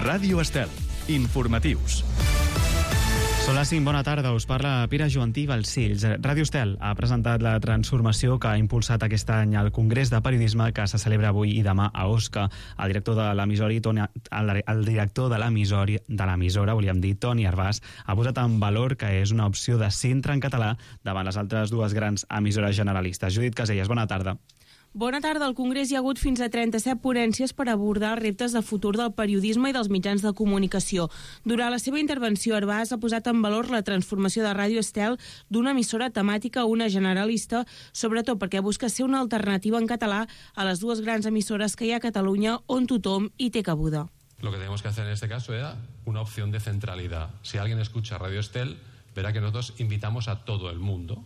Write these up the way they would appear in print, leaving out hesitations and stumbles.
Ràdio Estel. Informatius. Són les 5, bona tarda, us parla Pere Joantí Balcells. Ràdio Estel ha presentat la transformació que ha impulsat aquest any al Congrés de Periodisme que se celebra avui i demà a Osca. El director de l'emissora, volíem dir, Toni Arbàs, ha posat en valor que és una opció de centre en català davant les altres dues grans emissores generalistes. Judit Caselles, bona tarda. Bona tarda. Al Congrés hi ha hagut fins a 37 ponències per abordar reptes de futur del periodisme i dels mitjans de comunicació. Durant la seva intervenció, Arbàs ha posat en valor la transformació de Ràdio Estel d'una emissora temàtica a una generalista, sobretot perquè busca ser una alternativa en català a les dues grans emissores que hi ha a Catalunya on tothom hi té cabuda. Lo que tenemos que hacer en este caso era una opción de centralidad. Si alguien escucha Radio Estel, verá que nosotros invitamos a todo el mundo.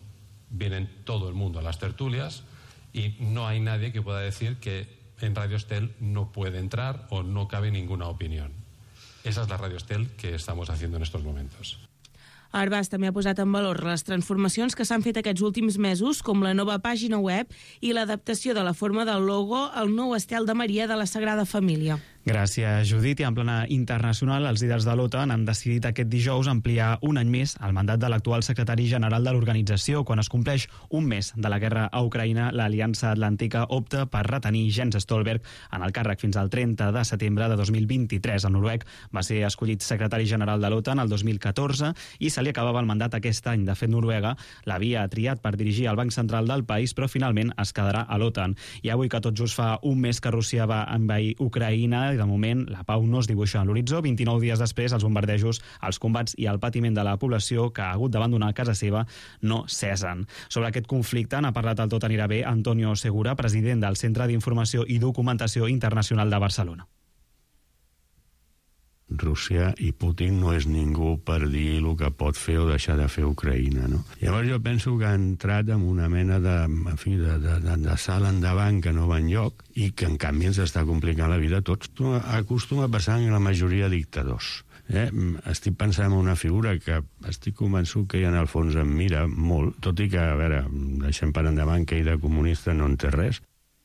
Vienen todo el mundo a las tertulias. Y no hay nadie que pueda decir que en Radio Estel no puede entrar o no cabe ninguna opinión. Esa es la Radio Estel que estamos haciendo en estos momentos. Arbàs també ha posat en valor les transformacions que s'han fet aquests últims mesos, com la nova pàgina web i l'adaptació de la forma del logo al nou estel de Maria de la Sagrada Família. Gràcies, Judit. I en plana internacional, els líders de l'OTAN han decidit aquest dijous ampliar un any més el mandat de l'actual secretari general de l'organització. Quan es compleix un mes de la guerra a Ucraïna, l'Aliança Atlàntica opta per retenir Jens Stoltenberg en el càrrec fins al 30 de setembre de 2023. El noruec va ser escollit secretari general de l'OTAN el 2014 i se li acabava el mandat aquest any. De fet, Noruega l'havia triat per dirigir el Banc Central del país, però finalment es quedarà a l'OTAN. I avui que tot just fa un mes que Rússia va envair Ucraïna, i de moment la pau no es dibuixa a l'horitzó. 29 dies després, els bombardejos, els combats i el patiment de la població que ha hagut d'abandonar casa seva no cesen. Sobre aquest conflicte n'ha parlat el Tot anirà bé Antonio Segura, president del Centre d'Informació i Documentació Internacional de Barcelona. Rússia i Putin no és ningú per dir el que pot fer o deixar de fer Ucraïna, no? Llavors jo penso que ha entrat en una mena de salt endavant que no va enlloc i que en canvi ens està complicant la vida a tots. Acostuma a passar en la majoria de dictadors. Estic pensant en una figura que estic convençut que ella en el fons em mira molt, tot i que, a veure, deixem per endavant que ell de comunista no en té res.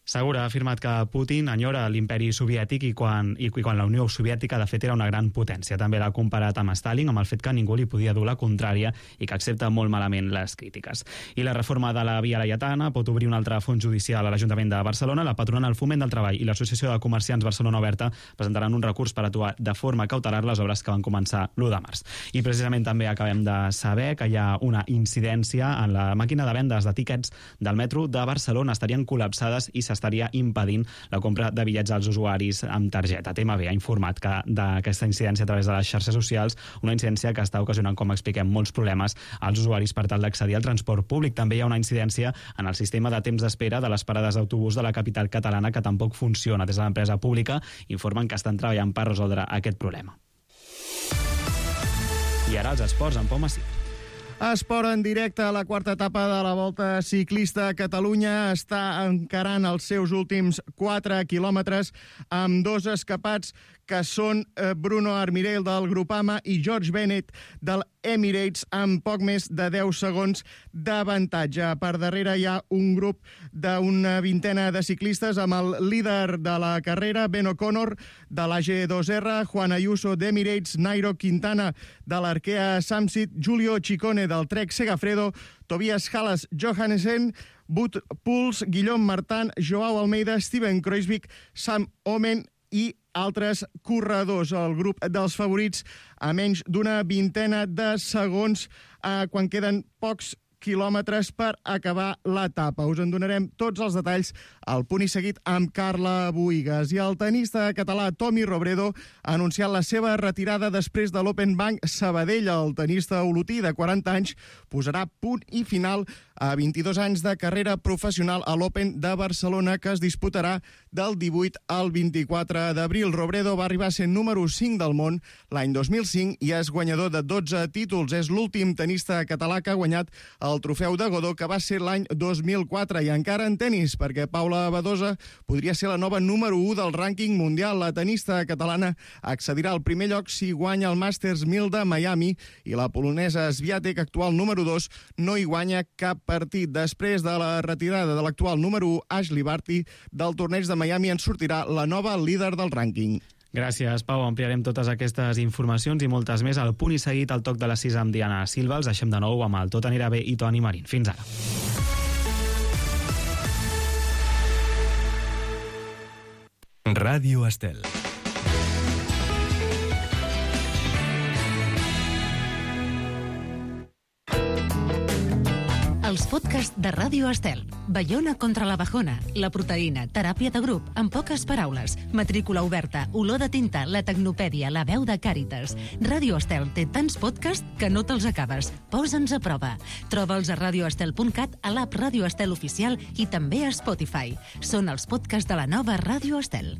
Segura ha afirmat que Putin enyora l'imperi soviètic i quan la Unió Soviètica de fet era una gran potència. També l'ha comparat amb Stalin, amb el fet que ningú li podia dur la contrària i que accepta molt malament les crítiques. I la reforma de la Via Laietana pot obrir un altre fons judicial a l'Ajuntament de Barcelona. La patronal Foment del Treball i l'Associació de Comerciants Barcelona Oberta presentaran un recurs per aturar de forma cautelar les obres que van començar l'1 de març. I precisament també acabem de saber que hi ha una incidència en la màquina de vendes de tíquets del metro de Barcelona. Estarien col·lapsades i estaria impedint la compra de bitllets als usuaris amb targeta. TMB ha informat d'aquesta incidència a través de les xarxes socials, una incidència que està ocasionant, com expliquem, molts problemes als usuaris per tal d'accedir al transport públic. També hi ha una incidència en el sistema de temps d'espera de les parades d'autobús de la capital catalana que tampoc funciona. Des de l'empresa pública informen que estan treballant per resoldre aquest problema. I ara els esports, en Pau Massí. Esport en directe a la quarta etapa de la Volta Ciclista. Catalunya està encarant els seus últims 4 quilòmetres amb dos escapats que són Bruno Armirell del Groupama i George Bennett del Emirates amb poc més de 10 segons d'avantatge. Per darrere hi ha un grup d'una vintena de ciclistes amb el líder de la carrera, Ben O'Connor de l'AG2R, Juan Ayuso d'Emirates, Nairo Quintana de l'Arkea Samsic, Giulio Ciccone del Trek Segafredo, Tobias Halas Johannessen, Wout Poels, Guillaume Martin, Joao Almeida, Steven Kruijswijk, Sam Oomen i altres corredors. El grup dels favorits a menys d'una vintena de segons quan queden pocs quilòmetres per acabar l'etapa. Us en donarem tots els detalls al Punt i Seguit amb Carla Buïgas. I el tenista català Tommy Robredo ha anunciat la seva retirada després de l'Open Bank Sabadell. El tenista olotí de 40 anys posarà punt i final a 22 anys de carrera professional a l'Open de Barcelona, que es disputarà del 18 al 24 d'abril. Robredo va arribar a ser número 5 del món l'any 2005 i és guanyador de 12 títols. És l'últim tenista català que ha guanyat el trofeu de Godó, que va ser l'any 2004. I encara en tenis, perquè Paula Badosa podria ser la nova número 1 del rànquing mundial. La tenista catalana accedirà al primer lloc si guanya el Masters 1000 de Miami i la polonesa Swiatek, actual número 2, no hi guanya cap partit. Després de la retirada de l'actual número 1, Ashley Barty, del torneig de Miami en sortirà la nova líder del rànquing. Gràcies, Pau. Ampliarem totes aquestes informacions i moltes més al Punt i Seguit, al toc de les 6 amb Diana Silva. Els deixem de nou amb el Tot anirà bé i Toni Marín. Fins ara. Ràdio Estel. Els podcasts de Ràdio Estel. Baiona contra la bajona, la proteïna, teràpia de grup, en poques paraules, matrícula oberta, olor de tinta, la tecnopèdia, la veu de Càritas. Ràdio Estel té tants podcasts que no te'ls acabes. Posa'ns a prova. Troba'ls a radioestel.cat, a l'app Ràdio Estel oficial i també a Spotify. Són els podcasts de la nova Ràdio Estel.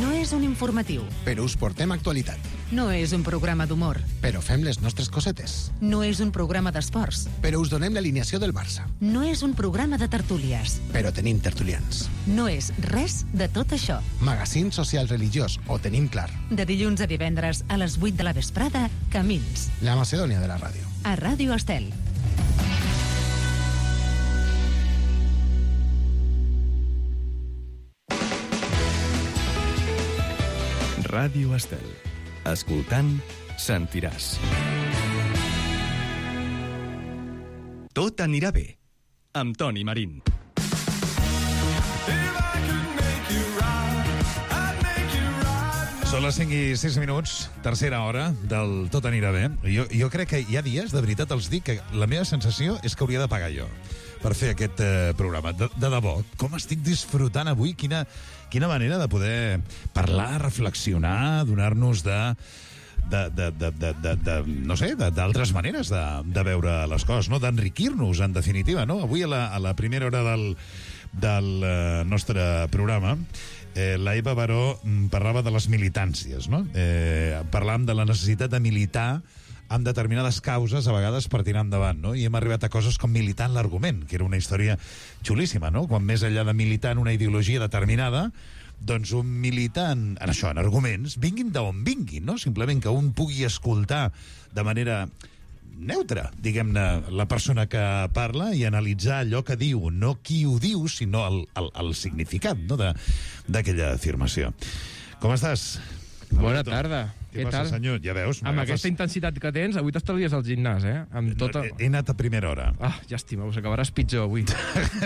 No és un informatiu. Però us portem actualitat. No és un programa d'humor. Però fem les nostres cosetes. No és un programa d'esports. Però us donem l'alineació del Barça. No és un programa de tertúlies. Però tenim tertulians. No és res de tot això. Magazín social religiós, ho tenim clar. De dilluns a divendres a les 8 de la vesprada, Camins. La Macedònia de la ràdio. A Ràdio Estel. Ràdio Estel. Escoltant, sentiràs. Tot anirà bé, amb Toni Marín. Són les 5 i 6 minuts, tercera hora del Tot anirà bé. Jo crec que hi ha dies, de veritat els dic, que la meva sensació és que hauria de pagar jo per fer aquest programa. De debò, com estic disfrutant avui, quina manera de poder parlar, reflexionar, donar-nos no sé, d'altres maneres de veure les coses, no? D'enriquir-nos, en definitiva, no? Avui a la primera hora del nostre programa, la Eva Baró parlava de les militàncies, no? Parlàvem de la necessitat de militar amb determinades causes, a vegades per tirar endavant, no? I hem arribat a coses com militar en l'argument, que era una història xulíssima, no? Quan més enllà de militar en una ideologia determinada, doncs un militar en això, en arguments, vinguin d'on vinguin, no? Simplement que un pugui escoltar de manera neutra, diguem-ne, la persona que parla i analitzar allò que diu, no qui ho diu, sinó el significat, no?, d'aquella afirmació. Com estàs? Bona tarda. Què passa, tal? senyor? Ja veus. Amb aquesta intensitat que tens, avui t'estalvies al gimnàs, eh? Amb tota... He anat a primera hora. Ah, llàstima, us acabaràs pitjor avui.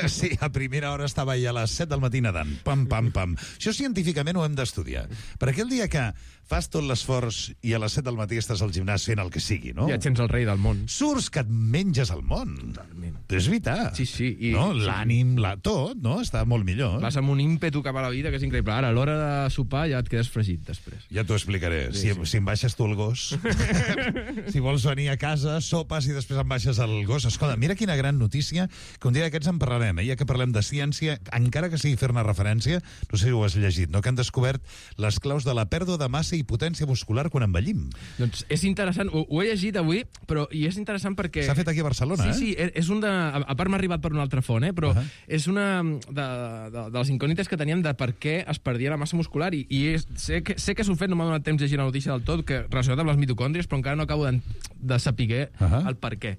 Sí, a primera hora estava ja a les 7 del matí nedant. Pam, pam, pam. Això científicament ho hem d'estudiar. Perquè el dia que fas tot l'esforç i a les 7 del matí estàs al gimnàs fent el que sigui, no? Ja ets el rei del món. Surts que et menges el món. Totalment. Però és veritat. Sí, sí. I, no? L'ànim, tot, no? Està molt millor. Vas amb un ímpetu cap a la vida que és increïble. Ara, a l'hora de sopar ja et quedes fregit després. Ja t'ho explicaré. Sí, si em baixes tu el gos, si vols venir a casa, sopes i després em baixes el gos. Escolta, mira quina gran notícia, que un dia d'aquests en parlarem, ja que parlem de ciència, encara que sigui fer-ne referència, no sé si ho has llegit, no? Que han descobert les claus de la pèrdua de massa i potència muscular quan envellim. Doncs és interessant, ho he llegit avui, però i és interessant perquè... S'ha fet aquí a Barcelona, Sí, és un de... A part m'ha arribat per una altra font, però és una de les incògnites que teníem de per què es perdia la massa muscular i sé que s'ho fet, no m'ha donat temps de llegir la notícia del tot, que relacionat amb les mitocòndries, però encara no acabo de saber el per què.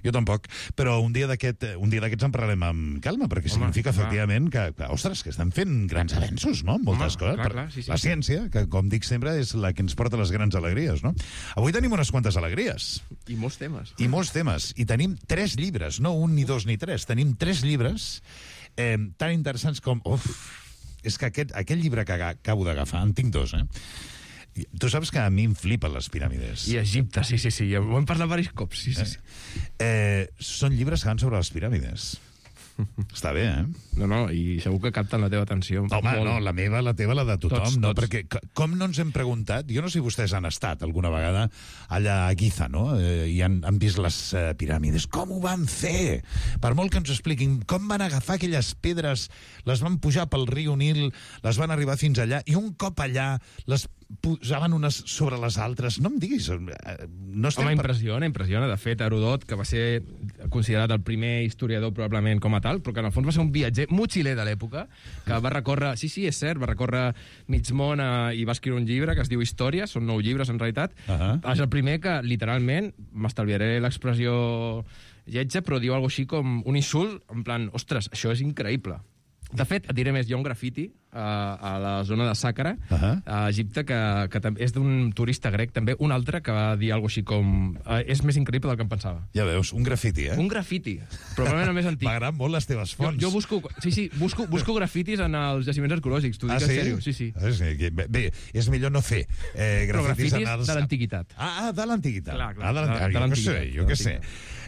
Jo tampoc, però un dia d'aquests en parlarem amb calma, perquè significa efectivament que, ostres, que estem fent grans avenços, no?, moltes coses. Clar, sí. La ciència, que com dic sempre, és la que ens porta les grans alegries, no? Avui tenim unes quantes alegries. I molts temes. I tenim 3 llibres, no un, ni 2, ni 3. Tenim 3 llibres tan interessants com... És que aquest llibre que acabo d'agafar, en tinc 2, Tu saps que a mi em flipen les piràmides. I Egipte, sí. Ho hem parlat diversos cops, sí. Són llibres que van sobre les piràmides. Està bé, No, i segur que capten la teva atenció. Home, no, la meva, la teva, la de tothom. Tots. No? Perquè com no ens hem preguntat... Jo no sé si vostès han estat alguna vegada allà a Giza, no? I han vist les piràmides. Com ho van fer? Per molt que ens expliquin com van agafar aquelles pedres, les van pujar pel riu Nil, les van arribar fins allà, i un cop allà les posaven unes sobre les altres. No em diguis... Home, impressiona. De fet, Herodot, que va ser considerat el primer historiador probablement com a tal, però que en el fons va ser un viatger motxiler de l'època, que va recórrer... Sí, és cert, va recórrer mig món i va escriure un llibre que es diu Històries, són 9 llibres en realitat. És el primer que, literalment, m'estalviaré l'expressió lletja, però diu alguna així com un insult, en plan, ostres, això és increïble. De fet, et diré més, hi ha un grafiti a la zona de Sàcara, a Egipte, que és d'un turista grec, també, un altre que va dir alguna així com... és més increïble del que em pensava. Ja veus, un grafiti, eh? Un grafiti, probablement el més antic. M'agraden molt les teves fonts. Jo busco grafitis en els jaciments arqueològics, t'ho dic en sèrio. Sí. Bé, és millor no fer grafitis de l'antiguitat. De l'antiguitat. Clar, jo què sé.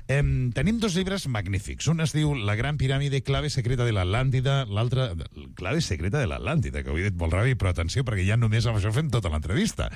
Tenim dos llibres magnífics. Un es diu La gran piràmide, clave secreta de l'Atlàntida, l'altre, clave secreta de l'Atlàntida, que ho he dit molt ràpid, però atenció, perquè ja només amb això fem tota l'entrevista.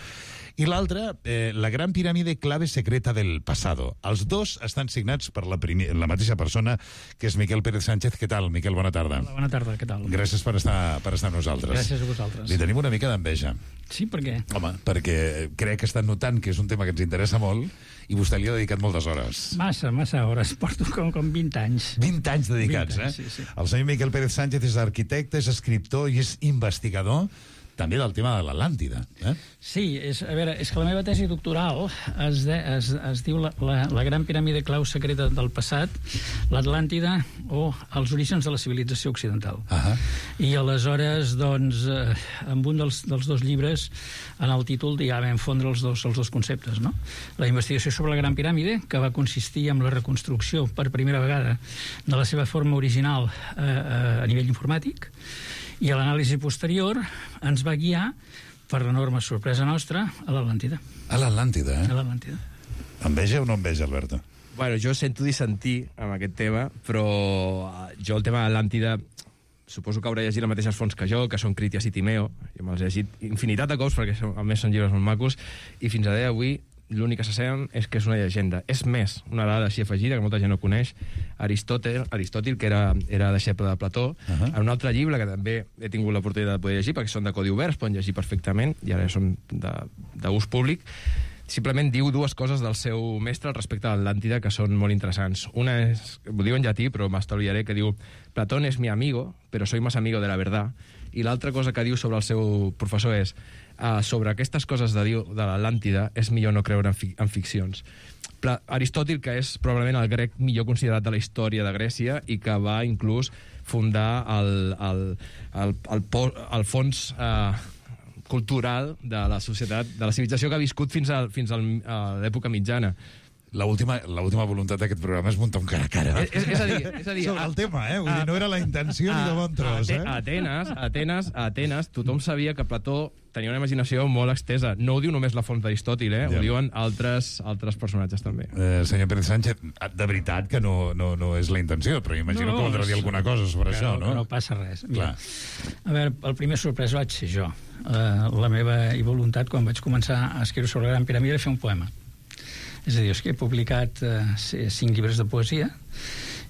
I l'altre, La gran piràmide, clave secreta del pasado. Els dos estan signats per la mateixa persona, que és Miquel Pérez Sánchez. Què tal, Miquel? Bona tarda. Hola, bona tarda, què tal? Gràcies per estar amb nosaltres. Gràcies a vosaltres. Li tenim una mica d'enveja. Sí, per què? Home, perquè crec que estan notant que és un tema que ens interessa molt i vostè li ha dedicat moltes hores. Massa hores. Porto com 20 anys. 20 anys dedicats, 20 anys, sí. El senyor Miquel Pérez Sánchez és arquitecte, és escriptor i és investigador també del tema de l'Atlàntida. Sí, és que la meva tesi doctoral es diu la gran piràmide clau secreta del passat, l'Atlàntida o els orígens de la civilització occidental. I aleshores, doncs, amb un dels dos llibres, en el títol ja vam fondre els dos conceptes, no? La investigació sobre la gran piràmide, que va consistir en la reconstrucció per primera vegada de la seva forma original a nivell informàtic, i l'anàlisi posterior ens va guiar, per l'enorme sorpresa nostra, a l'Atlàntida. A l'Atlàntida, A l'Atlàntida. Enveja o no enveja, Alberto? Bueno, jo sento dissentir amb aquest tema, però jo el tema de l'Atlàntida suposo que haurà llegit les mateixes fonts que jo, que són Critias i Timeo. Jo me'ls he llegit infinitat de cops, perquè a més són llibres molt macos, i fins a dia d'avui l'únic que se saben és que és una llegenda. És més, una dada així afegida, que molta gent no coneix, Aristòtil, que era deixeble de Plató, en un altre llibre que també he tingut l'oportunitat de poder llegir, perquè són de codi obert, es poden llegir perfectament, i ara són d'ús públic, simplement diu dues coses del seu mestre al respecte de l'Atlàntida que són molt interessants. Una és, ho diu en llatí, però m'estalviaré, que diu Platón es mi amigo, pero soy más amigo de la verdad. I l'altra cosa que diu sobre el seu professor és sobre aquestes coses de l'Atlàntida és millor no creure en ficcions. Aristòtil, que és probablement el grec millor considerat de la història de Grècia i que va inclús fundar el fons cultural de la societat, de la civilització que ha viscut fins a l'època mitjana. L'última voluntat d'aquest programa és muntar un cara a cara. És a dir... Sobre el tema, Vull dir, no era la intenció ni de bon tros, A Atenes, tothom sabia que Plató tenia una imaginació molt extesa. No ho diu només la font d'Aristòtil, ho diuen altres personatges també. Senyor Pérez Sánchez, de veritat que no és la intenció, però imagino que voldrà dir alguna cosa sobre això, no? No passa res. Mira, a veure, el primer sorpresa vaig ser jo. La meva voluntat, quan vaig començar a escriure sobre la Gran Piràmide, era fer un poema. És a dir, és que he publicat 5 llibres de poesia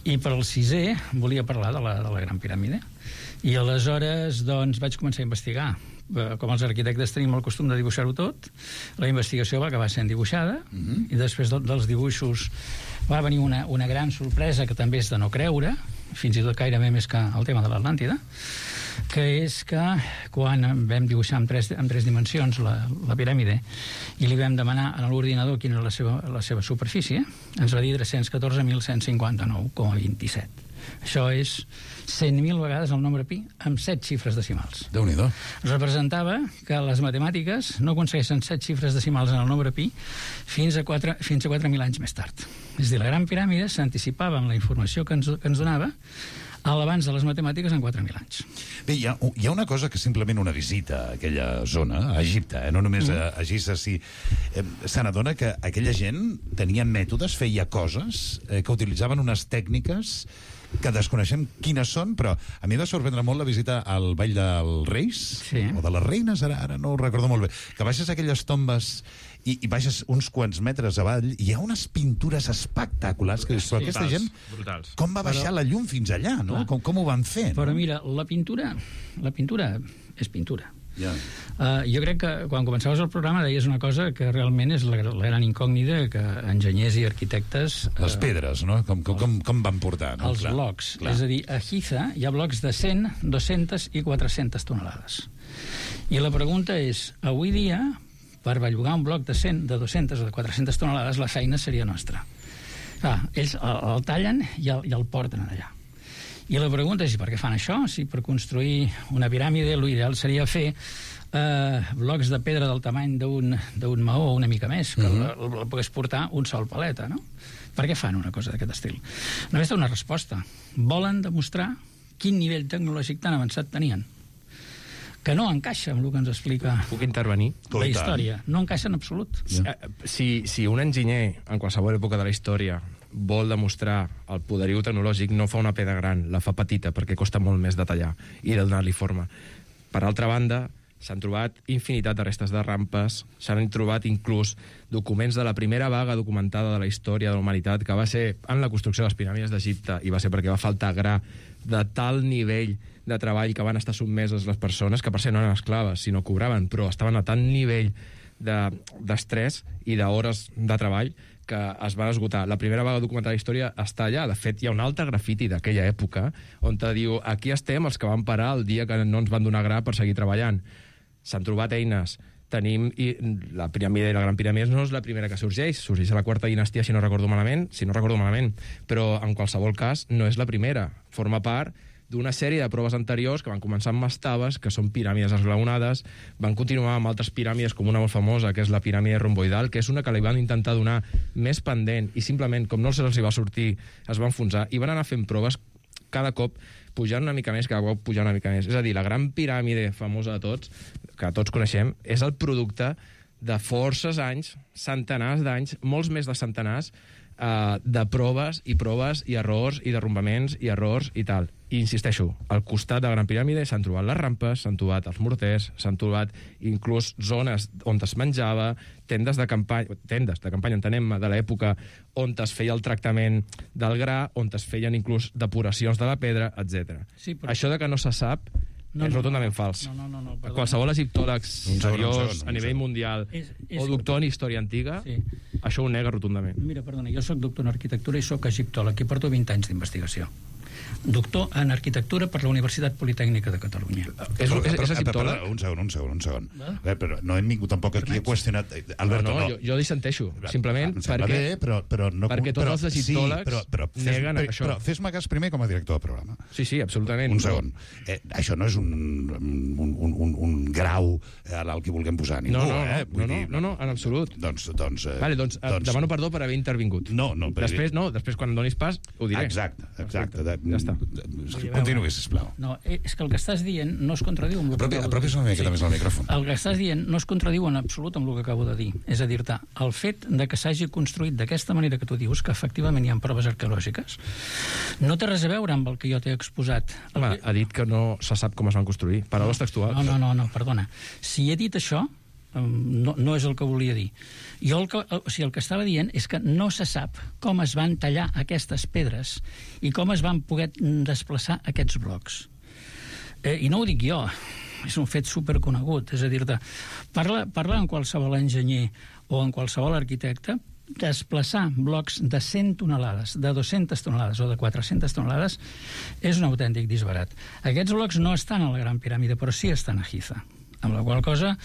i per al 6è volia parlar de la Gran Piràmide. I aleshores doncs, vaig començar a investigar. Com els arquitectes tenim el costum de dibuixar-ho tot, la investigació va acabar sent dibuixada i després dels dibuixos va venir una gran sorpresa que també és de no creure, fins i tot gairebé més que el tema de l'Atlàntida, que és que quan vam dibuixar en tres dimensions la piràmide i li vam demanar a l'ordinador quina era la seva superfície, ens va dir 314.159,27. Això és 100.000 vegades el nombre pi amb 7 xifres decimals. Déu-n'hi-do. Representava que les matemàtiques no aconsegueixen 7 xifres decimals en el nombre pi fins a 4.000 anys més tard. És a dir, la Gran Piràmide s'anticipava amb la informació que ens donava a l'abans de les matemàtiques en 4.000 anys. Bé, hi ha una cosa que simplement una visita a aquella zona, a Egipte, no només a Giza, se n'adona que aquella gent tenia mètodes, feia coses, que utilitzaven unes tècniques que desconeixem quines són, però a mi va sorprendre molt la visita al Vall dels Reis, o de les Reines, ara no ho recordo molt bé, que baixes aquelles tombes i baixes uns quants metres avall, i hi ha unes pintures espectaculars, que però aquesta gent, com va baixar la llum fins allà, no? Com ho van fer? Però mira, la pintura és pintura. Jo crec que quan començaves el programa deies una cosa que realment és la gran incògnita que enginyers i arquitectes... Les pedres, no? Com van portar? Els blocs. És a dir, a Giza hi ha blocs de 100, 200 i 400 tonelades. I la pregunta és, avui dia, per bellugar un bloc de 100, de 200 o de 400 tonelades, la feina seria nostra. Ells el tallen i el porten allà. I la pregunta és per què fan això? Si per construir una piràmide l'ideal seria fer blocs de pedra del tamany d'un maó o una mica més, que el pogués portar un sol paleta, no? Per què fan una cosa d'aquest estil? Només té una resposta. Volen demostrar quin nivell tecnològic tan avançat tenien, que no encaixa amb el que ens explica Puc intervenir? la història. No encaixa en absolut. Si un enginyer, en qualsevol època de la història, vol demostrar el poderiu tecnològic, no fa una pedra gran, la fa petita, perquè costa molt més de tallar i de donar-li forma. Per altra banda, s'han trobat infinitat de restes de rampes, s'han trobat inclús documents de la primera vaga documentada de la història de la humanitat, que va ser en la construcció de les piràmides d'Egipte, i va ser perquè va faltar gra de tal nivell de treball que van estar sotmeses les persones, que per ser no eren esclaves, sinó cobraven, però estaven a tant nivell d'estrès i d'hores de treball que es van esgotar. La primera vaga documentada de la història està allà. De fet, hi ha un altre grafiti d'aquella època on te diu, aquí estem els que van parar el dia que no ens van donar gra per seguir treballant. S'han trobat eines. Tenim la piràmide i la gran piràmide no és la primera que sorgeix a la quarta dinastia, si no recordo malament, però en qualsevol cas no és la primera. Forma part d'una sèrie de proves anteriors que van començar amb mastabes, que són piràmides esglaonades, van continuar amb altres piràmides, com una molt famosa, que és la piràmide romboidal, que és una que li van intentar donar més pendent, i simplement, com no se'ls va sortir, es va enfonsar, i van anar fent proves cada cop pujant una mica més, cada cop pujant una mica més. És a dir, la gran piràmide famosa de tots, que tots coneixem, és el producte de forces anys, centenars d'anys, molts més de centenars, de proves i errors i derrumbaments i errors i tal. I insisteixo, al costat de la Gran Piràmide s'han trobat les rampes, s'han trobat els morters, s'han trobat inclús zones on es menjava, tendes de campanya, entenem-me, de l'època on es feia el tractament del gra, on es feien inclús depuracions de la pedra, etc. Sí, però... Això de que no se sap és rotundament fals. No, qualsevol egiptòleg seriós a nivell mundial o doctor en història antiga, això ho nega rotundament. Mira, perdona, jo soc doctor en arquitectura i soc egiptòleg i porto 20 anys d'investigació. Doctor en arquitectura per la Universitat Politècnica de Catalunya. És egiptòleg? Un segon. Però no hem vingut tampoc aquí a qüestionar... Alberto, no. Jo dissenteixo, simplement perquè tots els egiptòlegs neguen això. Però fes-me cas primer com a director del programa. Sí, absolutament. Un segon. Això no és un grau al que vulguem posar ningú. No, en absolut. Doncs demano perdó per haver intervingut. Després quan em donis pas ho diré. Exacte. Ja està. Continuï, sisplau. No, és que el que estàs dient no es contradiu amb el que acabo de dir. Apropis una miqueta més al micròfon. El que estàs dient no es contradiu en absolut amb el que acabo de dir. És a dir-te, el fet de que s'hagi construït d'aquesta manera que tu dius, que efectivament hi ha proves arqueològiques, no té res a veure amb el que jo t'he exposat. Ha dit que no se sap com es van construir. Paraules textuals. No, perdona. Si he dit això, no és el que volia dir. Jo el que estava dient és que no se sap com es van tallar aquestes pedres i com es van poder desplaçar aquests blocs. I no ho dic jo, és un fet superconegut. És a dir-te, parla amb qualsevol enginyer o amb qualsevol arquitecte, desplaçar blocs de 100 tonelades, de 200 tonelades o de 400 tonelades és un autèntic disbarat. Aquests blocs no estan a la Gran Piràmide, però sí estan a Giza. Amb la qual cosa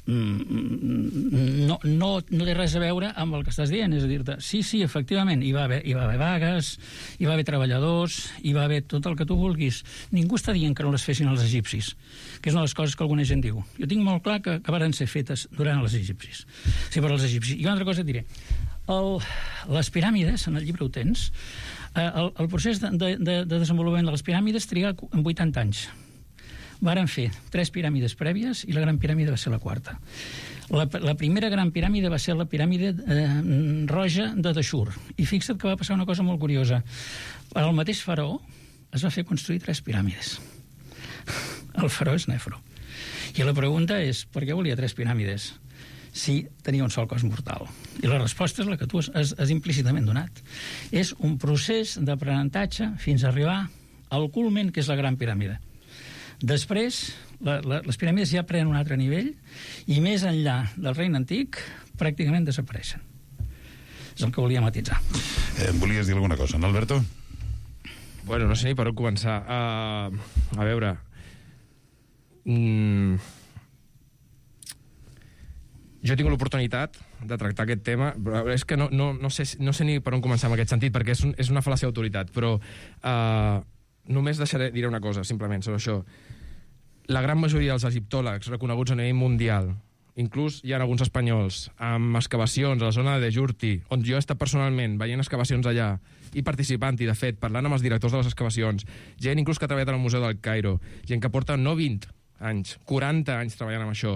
no té res a veure amb el que estàs dient. És a dir-te, sí, efectivament, hi va haver vagues, hi va haver treballadors, hi va haver tot el que tu vulguis. Ningú està dient que no les fessin els egipcis, que és una de les coses que alguna gent diu. Jo tinc molt clar que varen ser fetes durant els egipcis. Sí, per als egipcis. I una altra cosa et diré. Les piràmides, en el llibre ho tens, el procés de desenvolupament de les piràmides triga en 80 anys. Varen fer 3 piràmides prèvies i la Gran Piràmide va ser la quarta. La primera Gran Piràmide va ser la piràmide roja de Dashur. I fixa't que va passar una cosa molt curiosa. El mateix faraó es va fer construir 3 piràmides. El faraó és Nefro. I la pregunta és, per què volia 3 piràmides si tenia un sol cos mortal? I la resposta és la que tu has implícitament donat. És un procés d'aprenentatge fins a arribar al culmen, que és la Gran Piràmide. Després, les piràmides ja prenen un altre nivell i més enllà del regne antic pràcticament desapareixen. És el que volia matisar. Volies dir alguna cosa, no, Alberto? Bueno, no sé ni per on començar. A veure... Jo he tingut l'oportunitat de tractar aquest tema, però és que no sé ni per on començar en aquest sentit, perquè és una fal·làcia d'autoritat, però només diré una cosa, simplement, sobre això. La gran majoria dels egiptòlegs reconeguts a nivell mundial, inclús hi ha alguns espanyols, amb excavacions a la zona de Djurti, on jo he estat personalment veient excavacions allà, i participant-hi, de fet, parlant amb els directors de les excavacions, gent inclús que ha treballat al Museu del Cairo, gent que porta no 20 anys, 40 anys treballant amb això.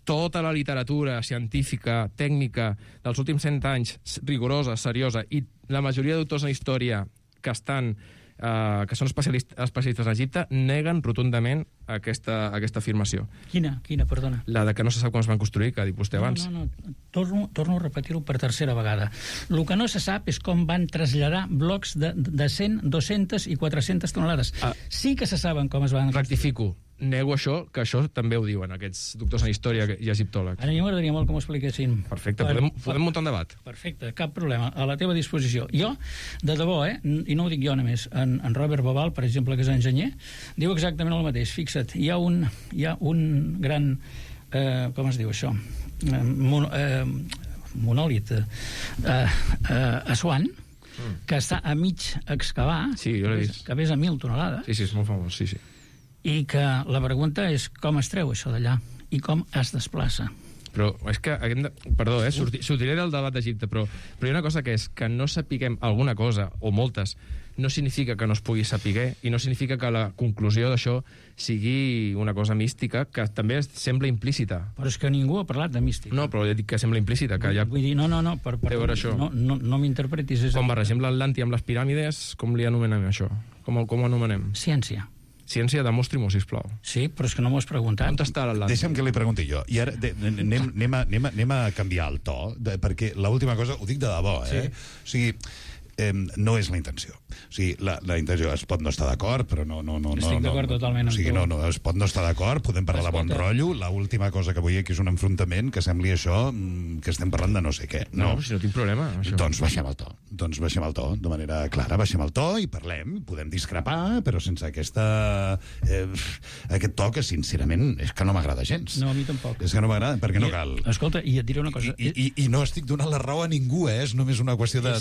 Tota la literatura científica, tècnica, dels últims 100 anys, rigorosa, seriosa, i la majoria d'autors en història que són especialistes en Egipte, neguen rotundament aquesta afirmació. Quina, perdona? La de que no se sap com es van construir, que ha dit vostè abans. No. Torno a repetir-ho per tercera vegada. El que no se sap és com van traslladar blocs de 100, 200 i 400 tonelades. Sí que se saben com es van... Rectifico. Nego això, que això també ho diuen aquests doctors en història i egiptòlegs. Ara a mi m'agradaria molt que m'ho expliquessin. Perfecte, podem muntar un debat. Perfecte, cap problema, a la teva disposició. Jo, de debò, i no ho dic jo només, en Robert Bobal, per exemple, que és enginyer, diu exactament el mateix. Fixa't, hi ha un gran, com es diu això, monòlit a Assuan, que està a mig excavar, sí, jo l'he vist, que pesa 1.000 tonelades. Sí, és molt famós, sí. I que la pregunta és com es treu això d'allà i com es desplaça. Però és que, perdó, sortiré del debat d'Egipte, però hi ha una cosa que és que no sapiguem alguna cosa, o moltes, no significa que no es pugui saber, i no significa que la conclusió d'això sigui una cosa mística, que també sembla implícita. Però és que ningú ha parlat de mística. No, però ja dic que sembla implícita. Que Vull dir, no, no m'interpretis. Com barregem l'Atlanti amb les piràmides, com li anomenem això? Com ho anomenem? Ciència. Ciència, demostri-m'ho, sisplau. Sí, però és que no m'ho has preguntat. On està l'Atlàntic? Deixa'm que li pregunti jo. I ara anem a canviar el to, perquè l'última cosa, ho dic de debò, Sí. O sigui, no és la intenció. O sigui, la intenció es pot no estar d'acord, però no... Estic d'acord totalment amb tu. O sigui, no, es pot no estar d'acord, podem parlar de bon rotllo. L'última cosa que vull dir que és un enfrontament, que sembli això, que estem parlant de no sé què. No, si no tinc problema. Això. Doncs baixem el to, de manera clara, baixem el to i parlem, podem discrepar, però sense aquest to que, sincerament, és que no m'agrada gens. No, a mi tampoc. És que no m'agrada, perquè no cal. Escolta, i et diré una cosa... I no estic donant la raó a ningú, és només una qüestió de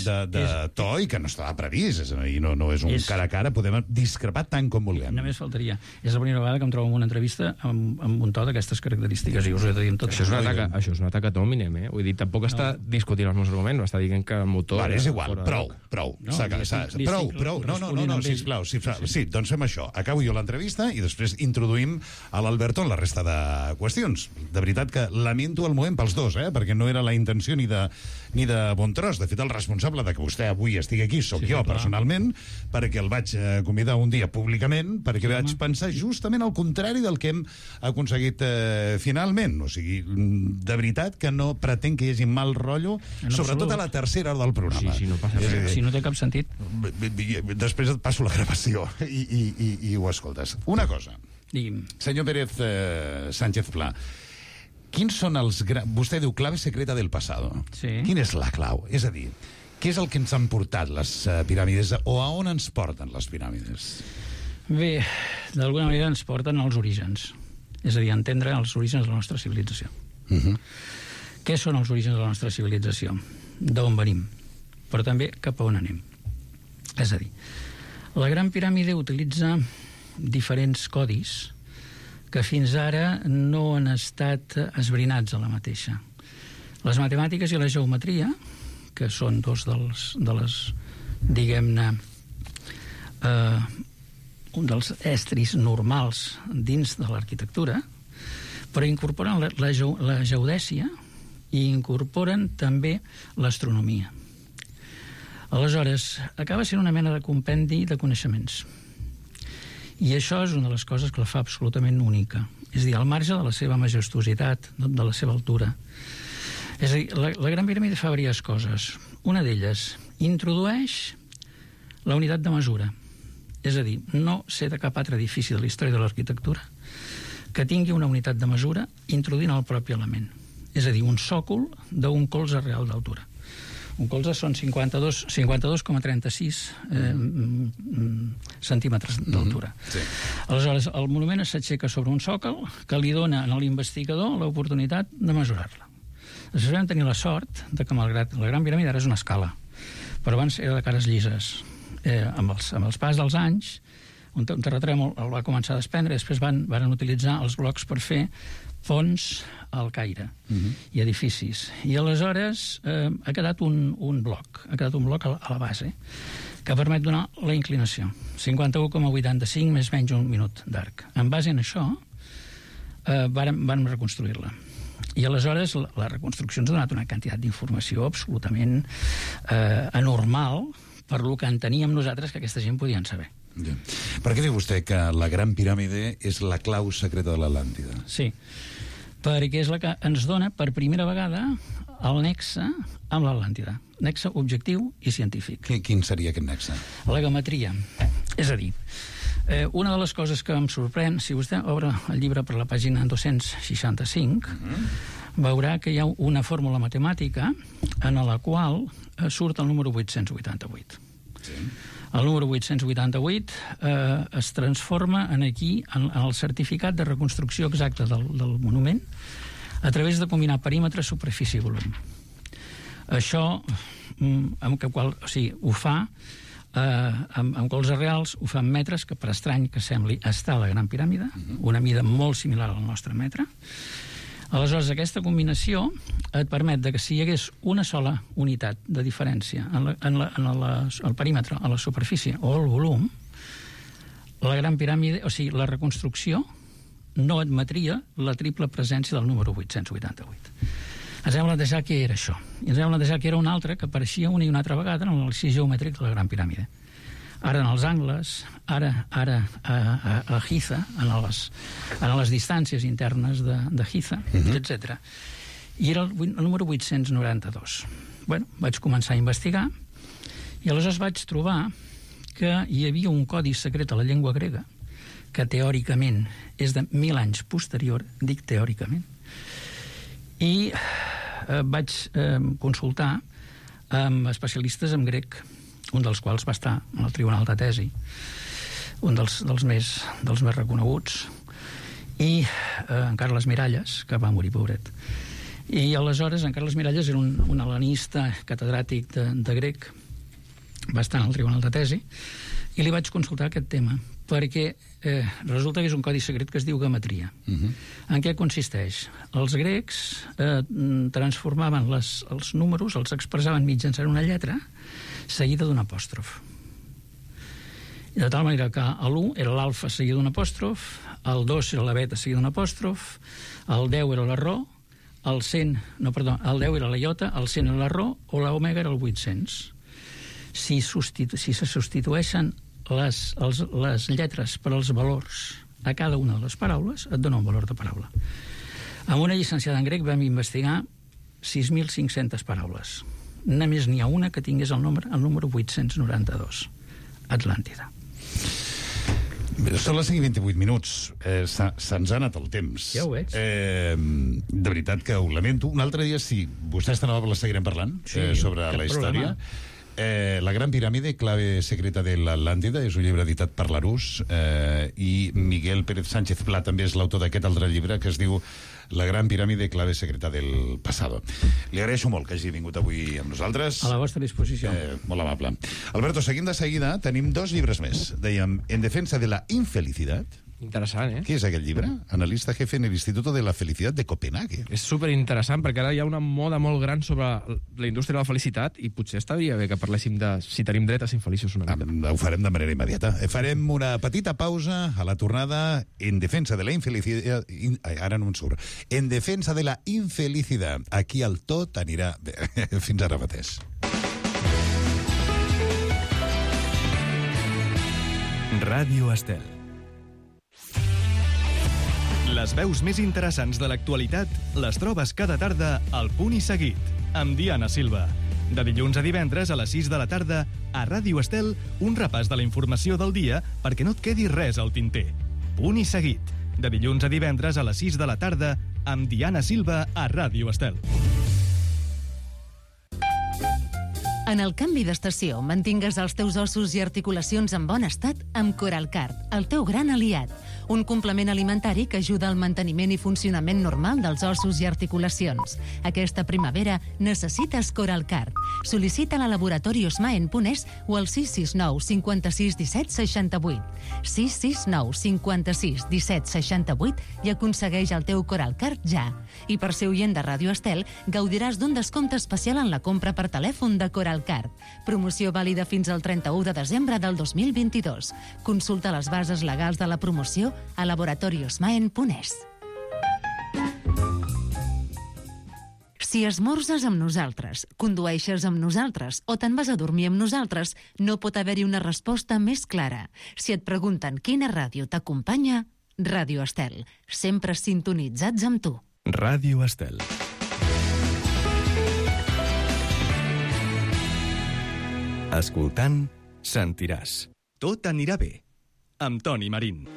to i que no estava previst, i no és un cara a cara, podem discrepar tant com vulguem. Només faltaria. És la primera vegada que em trobo en una entrevista amb un to d'aquestes característiques, i us ho he de dir amb tot. Això és un atac a Dominem, eh? Vull dir, tampoc està discutint els meus arguments, està dient que el motor... Vale, és igual, prou. No, sisplau. Sí, doncs fem això. Acabo jo l'entrevista i després introduïm a l'Alberto en la resta de qüestions. De veritat que lamento el moment pels dos, perquè no era la intenció ni de bon tros. De fet, el responsable de que vostè avui estigui aquí sóc jo, personalment, perquè el vaig convidar un dia públicament, perquè vaig pensar justament al contrari del que hem aconseguit finalment. O sigui, de veritat que no pretenc que hi hagi mal rotllo, sobretot a la tercera hora del programa. Sí, no passa res. Si no té cap sentit. Després et passo la gravació i ho escoltes. Una cosa. Digui'm. Senyor Pérez Sánchez Pla, quins són els... Vostè diu clave secreta del passado. Sí. Quina és la clau? És a dir, què és el que ens han portat les piràmides o a on ens porten les piràmides? Bé, d'alguna manera ens porten als orígens. És a dir, entendre els orígens de la nostra civilització. Què són els orígens de la nostra civilització? D'on venim? Però també cap a on anem. És a dir, la Gran Piràmide utilitza diferents codis que fins ara no han estat esbrinats a la mateixa. Les matemàtiques i la geometria, que són dos de les, diguem-ne, un dels estris normals dins de l'arquitectura, però incorporen la geodèsia i incorporen també l'astronomia. Aleshores, acaba sent una mena de compendi de coneixements. I això és una de les coses que la fa absolutament única. És a dir, al marge de la seva majestuositat, de la seva altura. És a dir, la Gran Piràmide fa diverses coses. Una d'elles, introdueix la unitat de mesura. És a dir, no sé de cap altre edifici de la història de l'arquitectura que tingui una unitat de mesura introduint el propi element. És a dir, un sòcol d'un colze real d'altura. Un colze són 52,36 centímetres d'altura. Sí. Aleshores, el monument s'aixeca sobre un sòcol que li dona a l'investigador l'oportunitat de mesurar-la. Després vam tenir la sort de que, malgrat la Gran Piràmide, ara és una escala, però abans era de cares llises. Amb els pas dels anys, un terratrèmol el va començar a desprendre, després van utilitzar els blocs per fer ponts al Caire i edificis. I aleshores ha quedat un bloc a la base que permet donar la inclinació. 51,85 més menys un minut d'arc. En base en això vam reconstruir-la. I aleshores la reconstrucció ens ha donat una quantitat d'informació absolutament anormal per lo que enteníem nosaltres que aquesta gent podien saber. Ja. Per què diu vostè que la Gran Piràmide és la clau secreta de l'Atlàntida? Sí, perquè és la que ens dona per primera vegada el nexe amb l'Atlàntida. Nexe objectiu i científic. Quin seria aquest nexe? La geometria. És a dir, una de les coses que em sorprèn, si vostè obre el llibre per la pàgina 265, veurà que hi ha una fórmula matemàtica en la qual surt el número 888. Sí. El número 888 es transforma aquí en el certificat de reconstrucció exacta del monument a través de combinar perímetre, superfície i volum. Això ho fa amb colzes reals, ho fa en metres, que per estrany que sembli està a la Gran Piràmide, una mida molt similar al nostre metre. Aleshores, aquesta combinació et permet que si hi hagués una sola unitat de diferència en el perímetre, a la superfície o el volum, la Gran Piràmide, o sigui, la reconstrucció no admetria la triple presència del número 888. Ens hem plantejar què era això. I ens hem plantejar que era un altre que apareixia una i una altra vegada en l'anàlisi geomètric de la Gran Piràmide. Ara en els angles, ara a Giza, en les distàncies internes de Giza, etc. I era el número 892. Bueno, vaig començar a investigar i aleshores vaig trobar que hi havia un codi secret a la llengua grega que teòricament és de 1.000 anys posterior, dic teòricament, i vaig consultar amb especialistes en grec, un dels quals va estar en el Tribunal de Tesi, un dels més reconeguts, i en Carles Miralles, que va morir, pobret. I aleshores en Carles Miralles era un hel·lenista catedràtic de grec, va estar en el Tribunal de Tesi, i li vaig consultar aquest tema, perquè resulta que és un codi secret que es diu geometria. En què consisteix? Els grecs transformaven els números, els expressaven mitjançant una lletra seguida d'un apòstrof. De tal manera que l'1 era l'alfa seguida d'un apòstrof, el 2 era la beta seguida d'un apòstrof, el 10 era la rho, el 10 era la iota, el 100 era la rho, o l'omega era el 800. Si se substitueixen les lletres per als valors a cada una de les paraules, et dona un valor de paraula. Amb una llicenciada en grec vam investigar 6.500 paraules. Només n'hi ha una que tingués el número 892. Atlàntida. Són les 5:28 minuts. Se'ns ha anat el temps. Ja ho veig. De veritat que ho lamento. Un altre dia, si vostè està nova, la seguirem parlant sobre la història. La Gran Piràmide, clave secreta de l'Atlàntida, és un llibre editat per Larousse, i Miguel Pérez Sánchez Pla també és l'autor d'aquest altre llibre que es diu La Gran Piràmide, clave secreta del pasado. Li agraeixo molt que hagi vingut avui amb nosaltres. A la vostra disposició. Molt amable. Alberto, seguim de seguida. Tenim 2 llibres més. Dèiem En defensa de la infelicidad. Interessant, Què és aquest llibre? Analista jefe en el Instituto de la Felicidad de Copenhague. És superinteressant, perquè ara hi ha una moda molt gran sobre la indústria de la felicitat i potser estaria bé que parléssim de si tenim dret a ser infeliços una mica. Ho farem de manera immediata. Farem una petita pausa a la tornada. En defensa de la infelicidad... Ara no em surt. En defensa de la infelicidad. Aquí el tot anirà bé. Fins ara mateix. Ràdio Estel. Les veus més interessants de l'actualitat les trobes cada tarda al Punt i Seguit, amb Diana Silva. De dilluns a divendres a les 6 de la tarda, a Ràdio Estel, un repàs de la informació del dia perquè no et quedi res al tinter. Punt i Seguit. De dilluns a divendres a les 6 de la tarda, amb Diana Silva a Ràdio Estel. En el canvi d'estació, mantingues els teus ossos i articulacions en bon estat amb Coralcart, el teu gran aliat. un complement alimentari que ajuda al manteniment i funcionament normal dels ossos i articulacions. Aquesta primavera necessites Coralcard. Sol·licita-la a Laboratori Osma en Punès o al 669 56 17 68. 669 56 17 68 i aconsegueix el teu Coralcard ja. I per ser oient de Ràdio Estel, gaudiràs d'un descompte especial en la compra per telèfon de Coralcard. Promoció vàlida fins al 31 de desembre del 2022. Consulta les bases legals de la promoció a Laboratori Osma en Punès. Si esmorzes amb nosaltres, condueixes amb nosaltres o te'n vas a dormir amb nosaltres, no pot haver-hi una resposta més clara. Si et pregunten quina ràdio t'acompanya, Ràdio Estel. Sempre sintonitzats amb tu. Ràdio Estel. Escoltant, sentiràs. Tot anirà bé. Amb Toni Marín.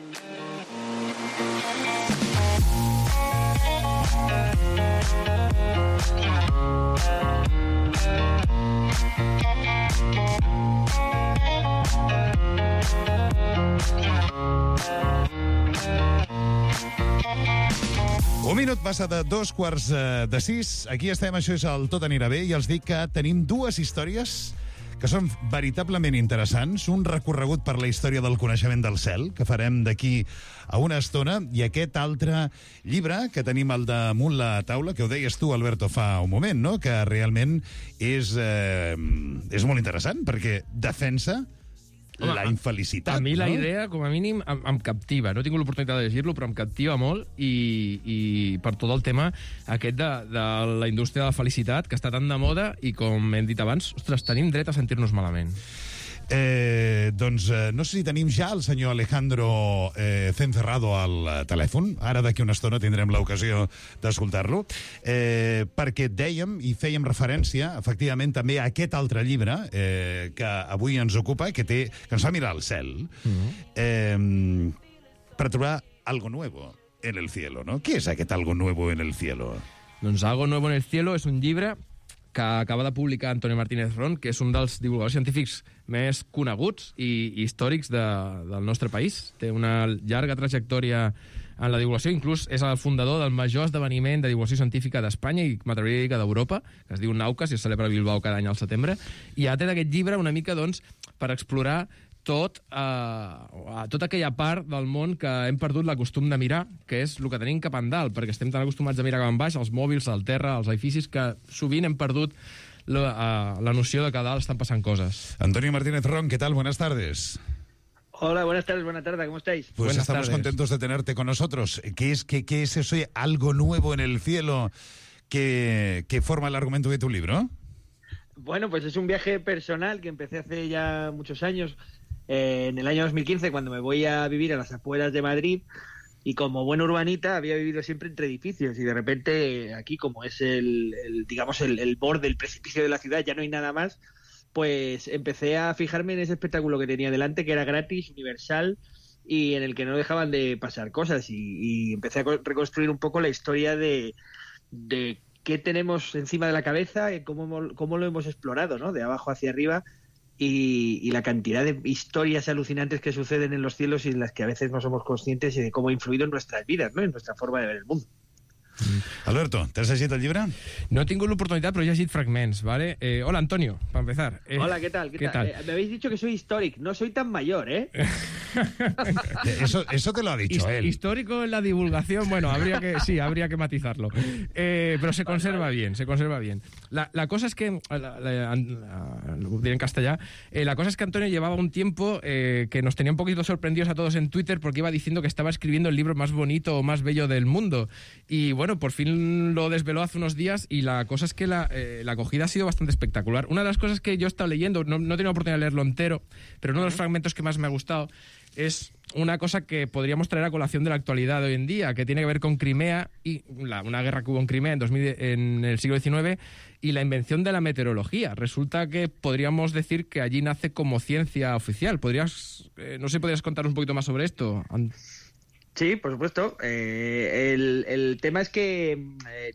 Un minut passa de 5:45. Aquí estem, això és el Tot anirà bé, i els dic que tenim dues històries que són veritablement interessants. Un recorregut per la història del coneixement del cel, que farem d'aquí a una estona, i aquest altre llibre que tenim al damunt la taula, que ho deies tu, Alberto, fa un moment, no? Que realment és molt interessant, perquè defensa la infelicitat. A mi la no? idea, com a mínim, em captiva. No he tingut l'oportunitat de llegir-lo, però em captiva molt, i per tot el tema aquest de la indústria de la felicitat, que està tan de moda, i com hem dit abans, ostres, tenim dret a sentir-nos malament. Doncs no sé si tenim ja el senyor Alejandro Cencerrado al telèfon. Ara d'aquí una estona tindrem l'ocasió d'escoltar-lo, perquè dèiem i fèiem referència efectivament també a aquest altre llibre que avui ens ocupa, que ens fa mirar al cel per trobar algo nuevo en el cielo, no? Què és aquest algo nuevo en el cielo? Doncs Algo nuevo en el cielo és un llibre que acaba de publicar Antonio Martínez Ron, que és un dels divulgadors científics més coneguts i històrics del nostre país. Té una llarga trajectòria en la divulgació, inclús és el fundador del major esdeveniment de divulgació científica d'Espanya i m'atreviria a dir que d'Europa, que es diu Naucas i es celebra a Bilbao cada any al setembre, i ha tret aquest llibre una mica, doncs, per explorar tota aquella part del món que hem perdut la costum de mirar, que és el que tenim cap endalt, perquè estem tan acostumats a mirar cap en baix, els mòbils, el terra, els edificis, que sovint hem perdut la noció de que a dalt estan passant cosas. Antonio Martínez Ron, ¿qué tal? Buenas tardes. Hola, buenas tardes, ¿cómo estáis? Pues buenas estamos tardes. Contentos de tenerte con nosotros. ¿Qué es eso, algo nuevo en el cielo que forma el argumento de tu libro? Bueno, pues es un viaje personal que empecé hace ya muchos años, en el año 2015, cuando me voy a vivir a las afueras de Madrid, y como buen urbanita había vivido siempre entre edificios, y de repente aquí, como es el borde, el precipicio de la ciudad, ya no hay nada más, pues empecé a fijarme en ese espectáculo que tenía delante, que era gratis, universal, y en el que no dejaban de pasar cosas, y empecé a reconstruir un poco la historia de qué tenemos encima de la cabeza, y cómo lo hemos explorado, ¿no? De abajo hacia arriba, y la cantidad de historias alucinantes que suceden en los cielos y en las que a veces no somos conscientes, y de cómo ha influido en nuestras vidas, ¿no? En nuestra forma de ver el mundo. Alberto, ¿te has llegit el llibre? No he tingut l'oportunitat, però he llegit fragments, ¿vale? Hola, Antonio, para empezar. Hola, ¿qué tal? Me habéis dicho que soy histórico, no soy tan mayor, ¿eh? Eso te lo ha dicho él. Histórico en la divulgación, bueno, habría que matizarlo. Pero se conserva bien. La cosa es que, lo diré en castellà, la cosa es que Antonio llevaba un tiempo que nos tenía un poquito sorprendidos a todos en Twitter, porque iba diciendo que estaba escribiendo el libro más bonito o más bello del mundo. Y bueno, por fin lo desveló hace unos días, y la cosa es que la acogida ha sido bastante espectacular. Una de las cosas que yo he estado leyendo, no he tenido oportunidad de leerlo entero, pero uno de los fragmentos que más me ha gustado es una cosa que podríamos traer a colación de la actualidad de hoy en día, que tiene que ver con Crimea y una guerra que hubo en Crimea en el siglo XIX, y la invención de la meteorología. Resulta que podríamos decir que allí nace como ciencia oficial. ¿Podrías contar un poquito más sobre esto? Sí, por supuesto. El tema es que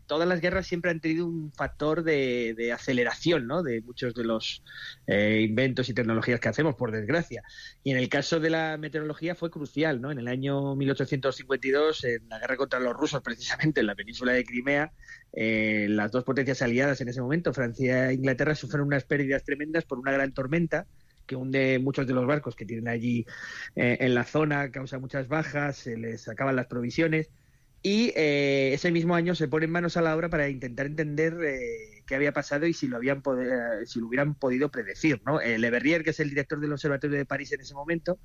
todas las guerras siempre han tenido un factor de aceleración, ¿no?, de muchos de los inventos y tecnologías que hacemos, por desgracia. Y en el caso de la meteorología fue crucial, ¿no? En el año 1852, en la guerra contra los rusos, precisamente en la península de Crimea, las dos potencias aliadas en ese momento, Francia e Inglaterra, sufrieron unas pérdidas tremendas por una gran tormenta que hunde muchos de los barcos que tienen allí en la zona, causa muchas bajas, se les acaban las provisiones y ese mismo año se ponen manos a la obra para intentar entender qué había pasado y si lo hubieran podido predecir, ¿no? Le Verrier, que es el director del Observatorio de París en ese momento,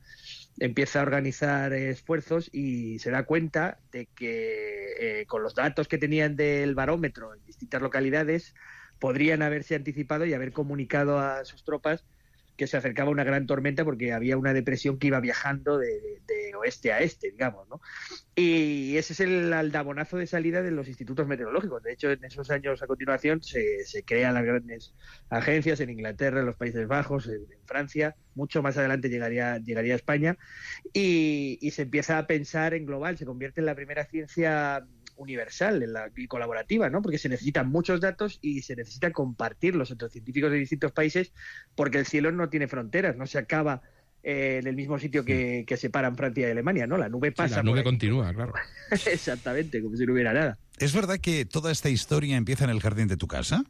empieza a organizar esfuerzos y se da cuenta de que con los datos que tenían del barómetro en distintas localidades podrían haberse anticipado y haber comunicado a sus tropas que se acercaba una gran tormenta porque había una depresión que iba viajando de oeste a este, digamos, ¿no? Y ese es el aldabonazo de salida de los institutos meteorológicos. De hecho, en esos años a continuación se crean las grandes agencias en Inglaterra, en los Países Bajos, en Francia. Mucho más adelante llegaría a España y se empieza a pensar en global. Se convierte en la primera ciencia universal y colaborativa, ¿no? Porque se necesitan muchos datos y se necesita compartirlos entre científicos de distintos países porque el cielo no tiene fronteras, no se acaba en el mismo sitio que separan Francia y Alemania, ¿no? La nube pasa. Sí, la nube continúa, claro. Exactamente, como si no hubiera nada. ¿Es verdad que toda esta historia empieza en el jardín de tu casa?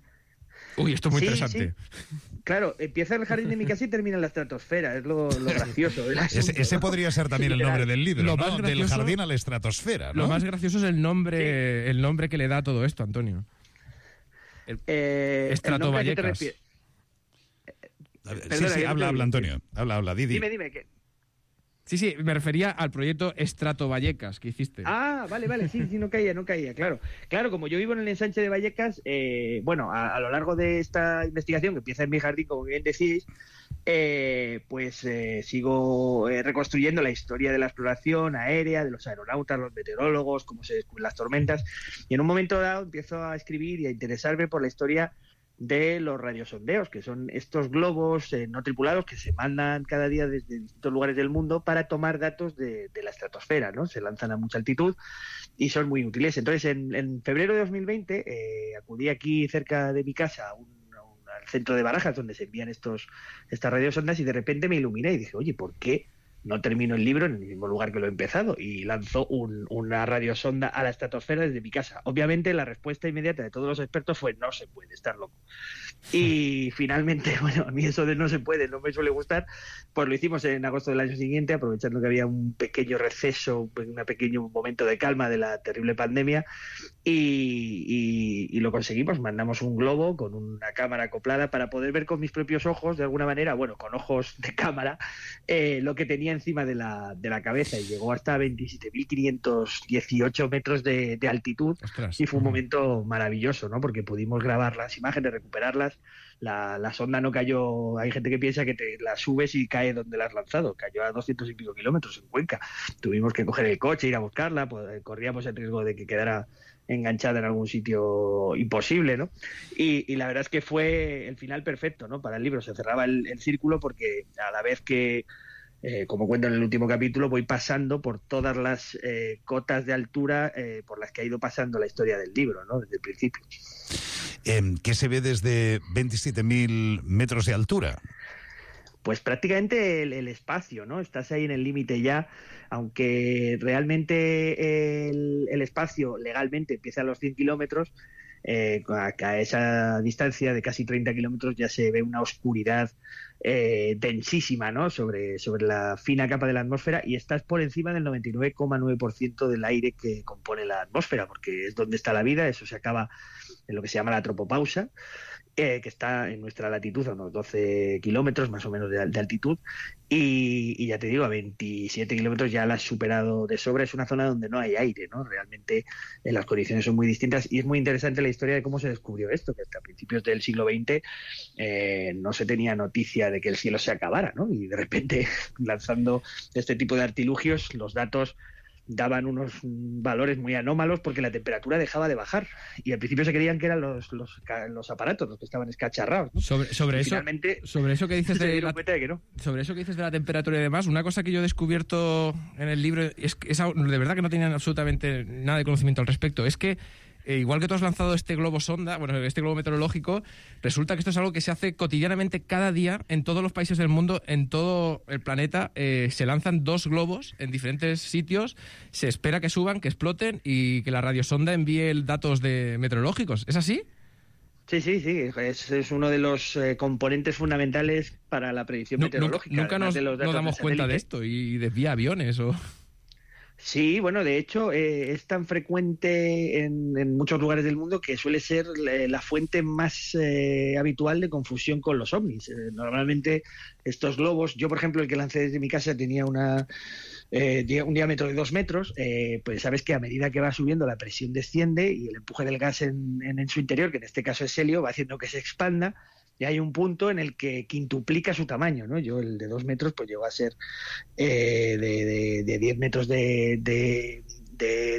Uy, esto es muy interesante. Sí. Claro, empieza en el jardín de mi casa y termina en la estratosfera, es lo gracioso. Ese podría ser también el nombre del libro, lo ¿no? más gracioso, del jardín a la estratosfera, ¿no? Lo más gracioso es el nombre que le da a todo esto, Antonio. Estrato Vallecas. Sí, habla, Antonio. Habla, Didi. Dime. Sí, me refería al proyecto Estrato Vallecas que hiciste. Ah, vale, sí, no caía, claro. Claro, como yo vivo en el ensanche de Vallecas, a lo largo de esta investigación, que empieza en mi jardín, como bien decís, sigo reconstruyendo la historia de la exploración aérea, de los aeronautas, los meteorólogos, cómo se descubren las tormentas, y en un momento dado empiezo a escribir y a interesarme por la historia de los radiosondeos, que son estos globos no tripulados que se mandan cada día desde distintos lugares del mundo para tomar datos de la estratosfera, ¿no? Se lanzan a mucha altitud y son muy útiles. Entonces, en febrero de 2020 acudí aquí cerca de mi casa al centro de Barajas, donde se envían estas radiosondas, y de repente me iluminé y dije, oye, ¿por qué no termino el libro en el mismo lugar que lo he empezado? Y lanzó una radiosonda a la estratosfera desde mi casa. Obviamente la respuesta inmediata de todos los expertos fue: no se puede, estar loco. Y finalmente, a mí eso de no se puede no me suele gustar, pues lo hicimos en agosto del año siguiente, aprovechando que había un pequeño receso, un pequeño momento de calma de la terrible pandemia, y lo conseguimos. Mandamos un globo con una cámara acoplada para poder ver con mis propios ojos, de alguna manera, con ojos de cámara, lo que tenía encima de la cabeza, y llegó hasta 27.518 metros de altitud. Ostras. Y fue un momento maravilloso, ¿no? Porque pudimos grabar las imágenes, recuperarlas. La sonda no cayó. Hay gente que piensa que te la subes y cae donde la has lanzado. Cayó a 200 y pico kilómetros en Cuenca. Tuvimos que coger el coche, ir a buscarla, corríamos el riesgo de que quedara enganchada en algún sitio imposible, ¿no? Y la verdad es que fue el final perfecto, ¿no? Para el libro. Se cerraba el círculo, porque a la vez que como cuento en el último capítulo, voy pasando por todas las cotas de altura por las que ha ido pasando la historia del libro, ¿no? Desde el principio. ¿Qué se ve desde 27.000 metros de altura? Pues prácticamente el espacio, ¿no? Estás ahí en el límite ya, aunque realmente el espacio legalmente empieza a los 100 kilómetros, a esa distancia de casi 30 kilómetros ya se ve una oscuridad densísima, ¿no? sobre la fina capa de la atmósfera, y estás por encima del 99,9% del aire que compone la atmósfera, porque es donde está la vida. Eso se acaba en lo que se llama la tropopausa, que está en nuestra latitud a unos 12 kilómetros más o menos de altitud, y ya te digo, a 27 kilómetros ya la has superado de sobra. Es una zona donde no hay aire, ¿no? Realmente las condiciones son muy distintas, y es muy interesante la historia de cómo se descubrió esto, que hasta principios del siglo XX no se tenía noticia de que el cielo se acabara, ¿no? Y de repente, lanzando este tipo de artilugios, los datos daban unos valores muy anómalos porque la temperatura dejaba de bajar. Y al principio se creían que eran los aparatos los que estaban escacharrados, ¿no? Sobre eso que dices de no. Sobre eso que dices de la temperatura y demás, una cosa que yo he descubierto en el libro es de verdad que no tenían absolutamente nada de conocimiento al respecto. Es que igual que tú has lanzado este globo sonda, este globo meteorológico, resulta que esto es algo que se hace cotidianamente cada día en todos los países del mundo, en todo el planeta. Se lanzan 2 globos en diferentes sitios, se espera que suban, que exploten y que la radiosonda envíe datos meteorológicos. ¿Es así? Sí. Es uno de los componentes fundamentales para la predicción meteorológica. Nunca nos damos cuenta de esto y desvía aviones o... Sí, bueno, de hecho es tan frecuente en muchos lugares del mundo que suele ser la fuente más habitual de confusión con los ovnis. Normalmente estos globos, yo por ejemplo el que lancé desde mi casa tenía un diámetro de 2 metros, pues sabes que a medida que va subiendo la presión desciende y el empuje del gas en su interior, que en este caso es helio, va haciendo que se expanda. Y hay un punto en el que quintuplica su tamaño, ¿no? Yo el de 2 metros pues llegó a ser de 10 metros de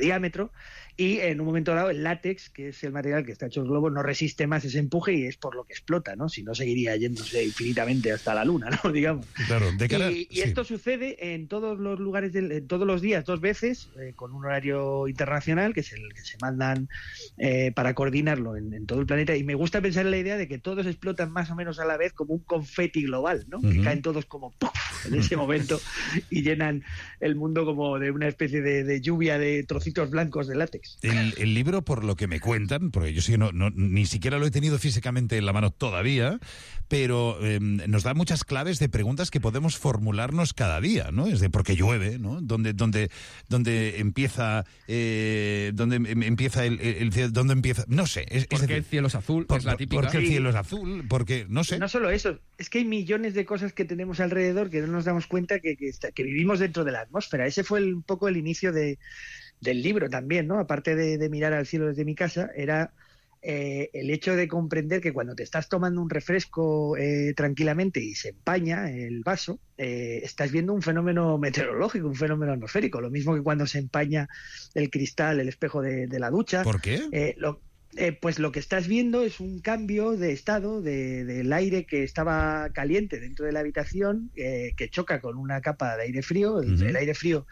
diámetro, y en un momento dado el látex, que es el material que está hecho el globo, no resiste más ese empuje y es por lo que explota, ¿no? Si no seguiría yéndose infinitamente hasta la luna, ¿no? Digamos. Claro, y esto sucede en todos los lugares, en todos los días, 2 veces, con un horario internacional, que es el que se mandan para coordinarlo en todo el planeta. Y me gusta pensar en la idea de que todos explotan más o menos a la vez como un confeti global, ¿no? Que caen todos como ¡puf! En ese momento y llenan el mundo como de una especie de lluvia de trocitos blancos de látex. El libro, por lo que me cuentan, porque yo sí que ni siquiera lo he tenido físicamente en la mano todavía, pero nos da muchas claves de preguntas que podemos formularnos cada día, ¿no? Es de por qué llueve, ¿no? ¿Dónde empieza el cielo? ¿Dónde empieza? No sé. ¿Por qué el cielo es azul? Es la típica. ¿Por qué el cielo es azul? Porque, no sé. No solo eso, es que hay millones de cosas que tenemos alrededor que no nos damos cuenta que vivimos dentro de la atmósfera. Ese fue un poco el inicio del libro también, ¿no? Aparte de mirar al cielo desde mi casa, era el hecho de comprender que cuando te estás tomando un refresco tranquilamente y se empaña el vaso, estás viendo un fenómeno meteorológico, un fenómeno atmosférico. Lo mismo que cuando se empaña el cristal, el espejo de la ducha. ¿Por qué? Pues lo que estás viendo es un cambio de estado del aire que estaba caliente dentro de la habitación, que choca con una capa de aire frío. El aire frío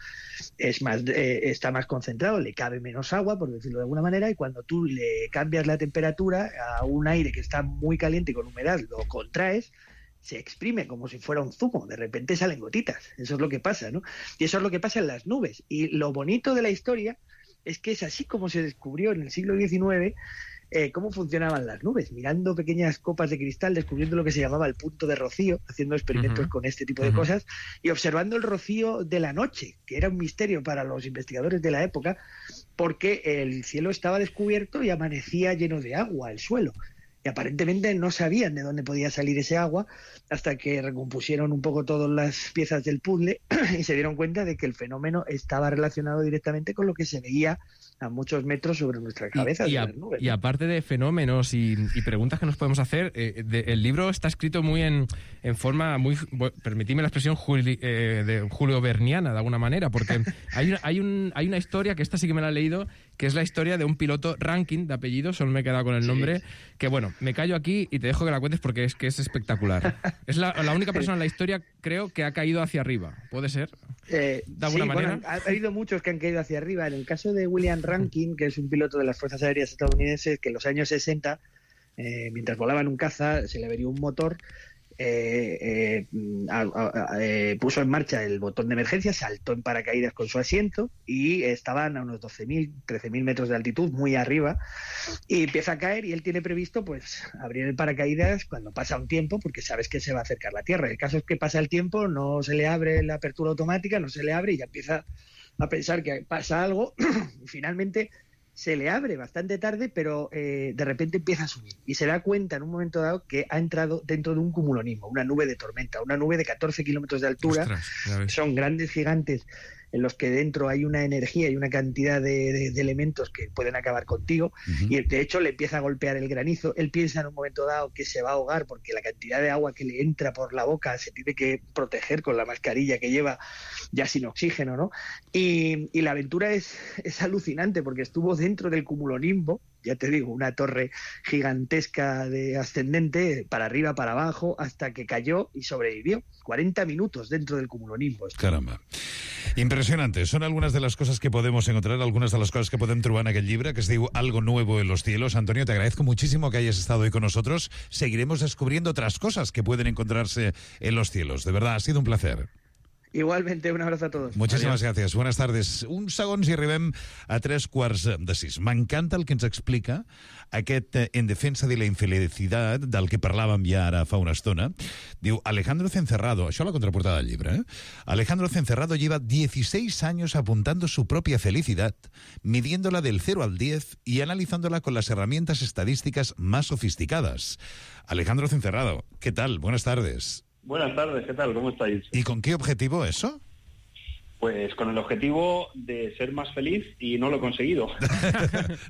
está más concentrado, le cabe menos agua, por decirlo de alguna manera, y cuando tú le cambias la temperatura a un aire que está muy caliente y con humedad, lo contraes, se exprime como si fuera un zumo, de repente salen gotitas. Eso es lo que pasa, ¿no? Y eso es lo que pasa en las nubes. Y lo bonito de la historia es que es así como se descubrió en el siglo XIX cómo funcionaban las nubes, mirando pequeñas copas de cristal, descubriendo lo que se llamaba el punto de rocío, haciendo experimentos con este tipo de cosas, y observando el rocío de la noche, que era un misterio para los investigadores de la época, porque el cielo estaba descubierto y amanecía lleno de agua el suelo. Y aparentemente no sabían de dónde podía salir ese agua hasta que recompusieron un poco todas las piezas del puzzle y se dieron cuenta de que el fenómeno estaba relacionado directamente con lo que se veía a muchos metros sobre nuestras cabezas. Y aparte de fenómenos y preguntas que nos podemos hacer, el libro está escrito muy en forma muy, permitidme la expresión, Julio Verniana, de alguna manera, porque hay una historia, que esta sí que me la he leído, que es la historia de un piloto Rankin, de apellido, solo me he quedado con el nombre, que bueno, me callo aquí y te dejo que la cuentes porque es que es espectacular. Es la única persona en la historia, creo, que ha caído hacia arriba. ¿Puede ser? ¿De alguna manera? Bueno, ha habido muchos que han caído hacia arriba. En el caso de William Rankin, que es un piloto de las Fuerzas Aéreas estadounidenses, que en los años 60, mientras volaba en un caza, se le averió un motor, puso en marcha el botón de emergencia, saltó en paracaídas con su asiento y estaban a unos 12.000, 13.000 metros de altitud, muy arriba, y empieza a caer y él tiene previsto pues abrir el paracaídas cuando pasa un tiempo, porque sabes que se va a acercar la Tierra. El caso es que pasa el tiempo, no se le abre la apertura automática, no se le abre y ya empieza a pensar que pasa algo y finalmente se le abre bastante tarde, pero de repente empieza a subir y se da cuenta en un momento dado que ha entrado dentro de un cumulonismo, una nube de tormenta, una nube de 14 kilómetros de altura. Ostras, son grandes gigantes en los que dentro hay una energía y una cantidad de elementos que pueden acabar contigo, y de hecho le empieza a golpear el granizo. Él piensa en un momento dado que se va a ahogar porque la cantidad de agua que le entra por la boca se tiene que proteger con la mascarilla que lleva ya sin oxígeno, ¿no? Y la aventura es alucinante porque estuvo dentro del cumulonimbo, ya te digo, una torre gigantesca de ascendente, para arriba, para abajo, hasta que cayó y sobrevivió. 40 minutos dentro del cumulonimbo. Caramba. Impressionante. Són algunes de les coses que podemos encontrar, algunas de las cosas que podem trobar en aquell llibre, que es diu Algo Nuevo en los Cielos. Antonio, te agradezco muchísimo que hayas estado hoy con nosotros. Seguiremos descubriendo otras cosas que pueden encontrarse en los cielos. De verdad, ha sido un placer. Igualmente, un abrazo a todos. Muchísimas gracias. Buenas tardes. Uns segons i arribem a 3:45. M'encanta el que ens explica aquest En defensa de la infelicidad, del que parlàvem ja ara fa una estona. Diu, Alejandro Cencerrado, això a la contraportada del llibre, Alejandro Cencerrado lleva 16 años apuntando su propia felicidad, midiéndola del 0 al 10 y analizándola con las herramientas estadísticas más sofisticadas. Alejandro Cencerrado, ¿qué tal? Buenas tardes. Buenas tardes, ¿qué tal? ¿Cómo estáis? ¿Y con qué objetivo eso? Pues con el objetivo de ser más feliz y no lo he conseguido.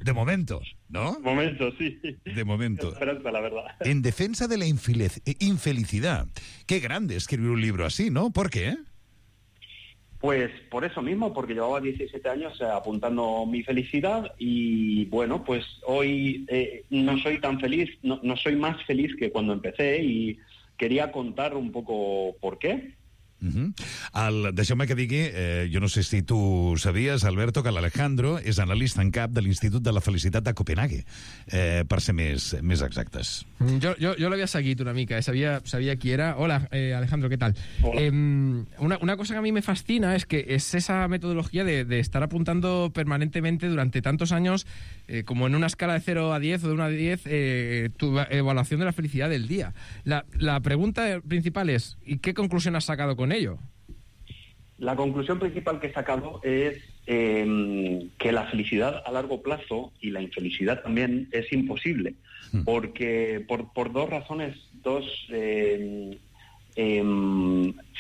De momento, ¿no? De momento, sí. De momento. Esperanza, la verdad. En defensa de la infelicidad. Qué grande escribir un libro así, ¿no? ¿Por qué? Pues por eso mismo, porque llevaba 17 años apuntando mi felicidad y bueno, pues hoy no soy tan feliz, no soy más feliz que cuando empecé y quería contar un poco por qué. Deixeu-me que digui, jo no sé si tu sabies, Alberto, que l'Alejandro és analista en cap de l'Institut de la Felicitat de Copenhague, per ser més exactes. Jo l'havia seguit una mica, sabia qui era. Hola, Alejandro, ¿qué tal? Una cosa que a mí me fascina es que es esa metodología de estar apuntando permanentemente durante tantos años, como en una escala de 0 a 10 o de 1 a 10, tu evaluación de la felicidad del día. La pregunta principal es, ¿y qué conclusión has sacado con ello? La conclusión principal que he sacado es que la felicidad a largo plazo y la infelicidad también es imposible, porque por dos razones, dos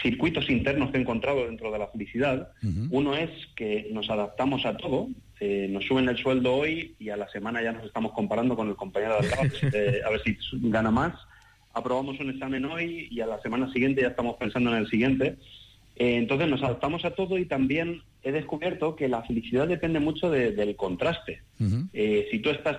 circuitos internos que he encontrado dentro de la felicidad. Uno es que nos adaptamos a todo, nos suben el sueldo hoy y a la semana ya nos estamos comparando con el compañero de al lado, a ver si gana más. Aprobamos un examen hoy y a la semana siguiente ya estamos pensando en el siguiente. Entonces nos adaptamos a todo y también he descubierto que la felicidad depende mucho del contraste. Si tú estás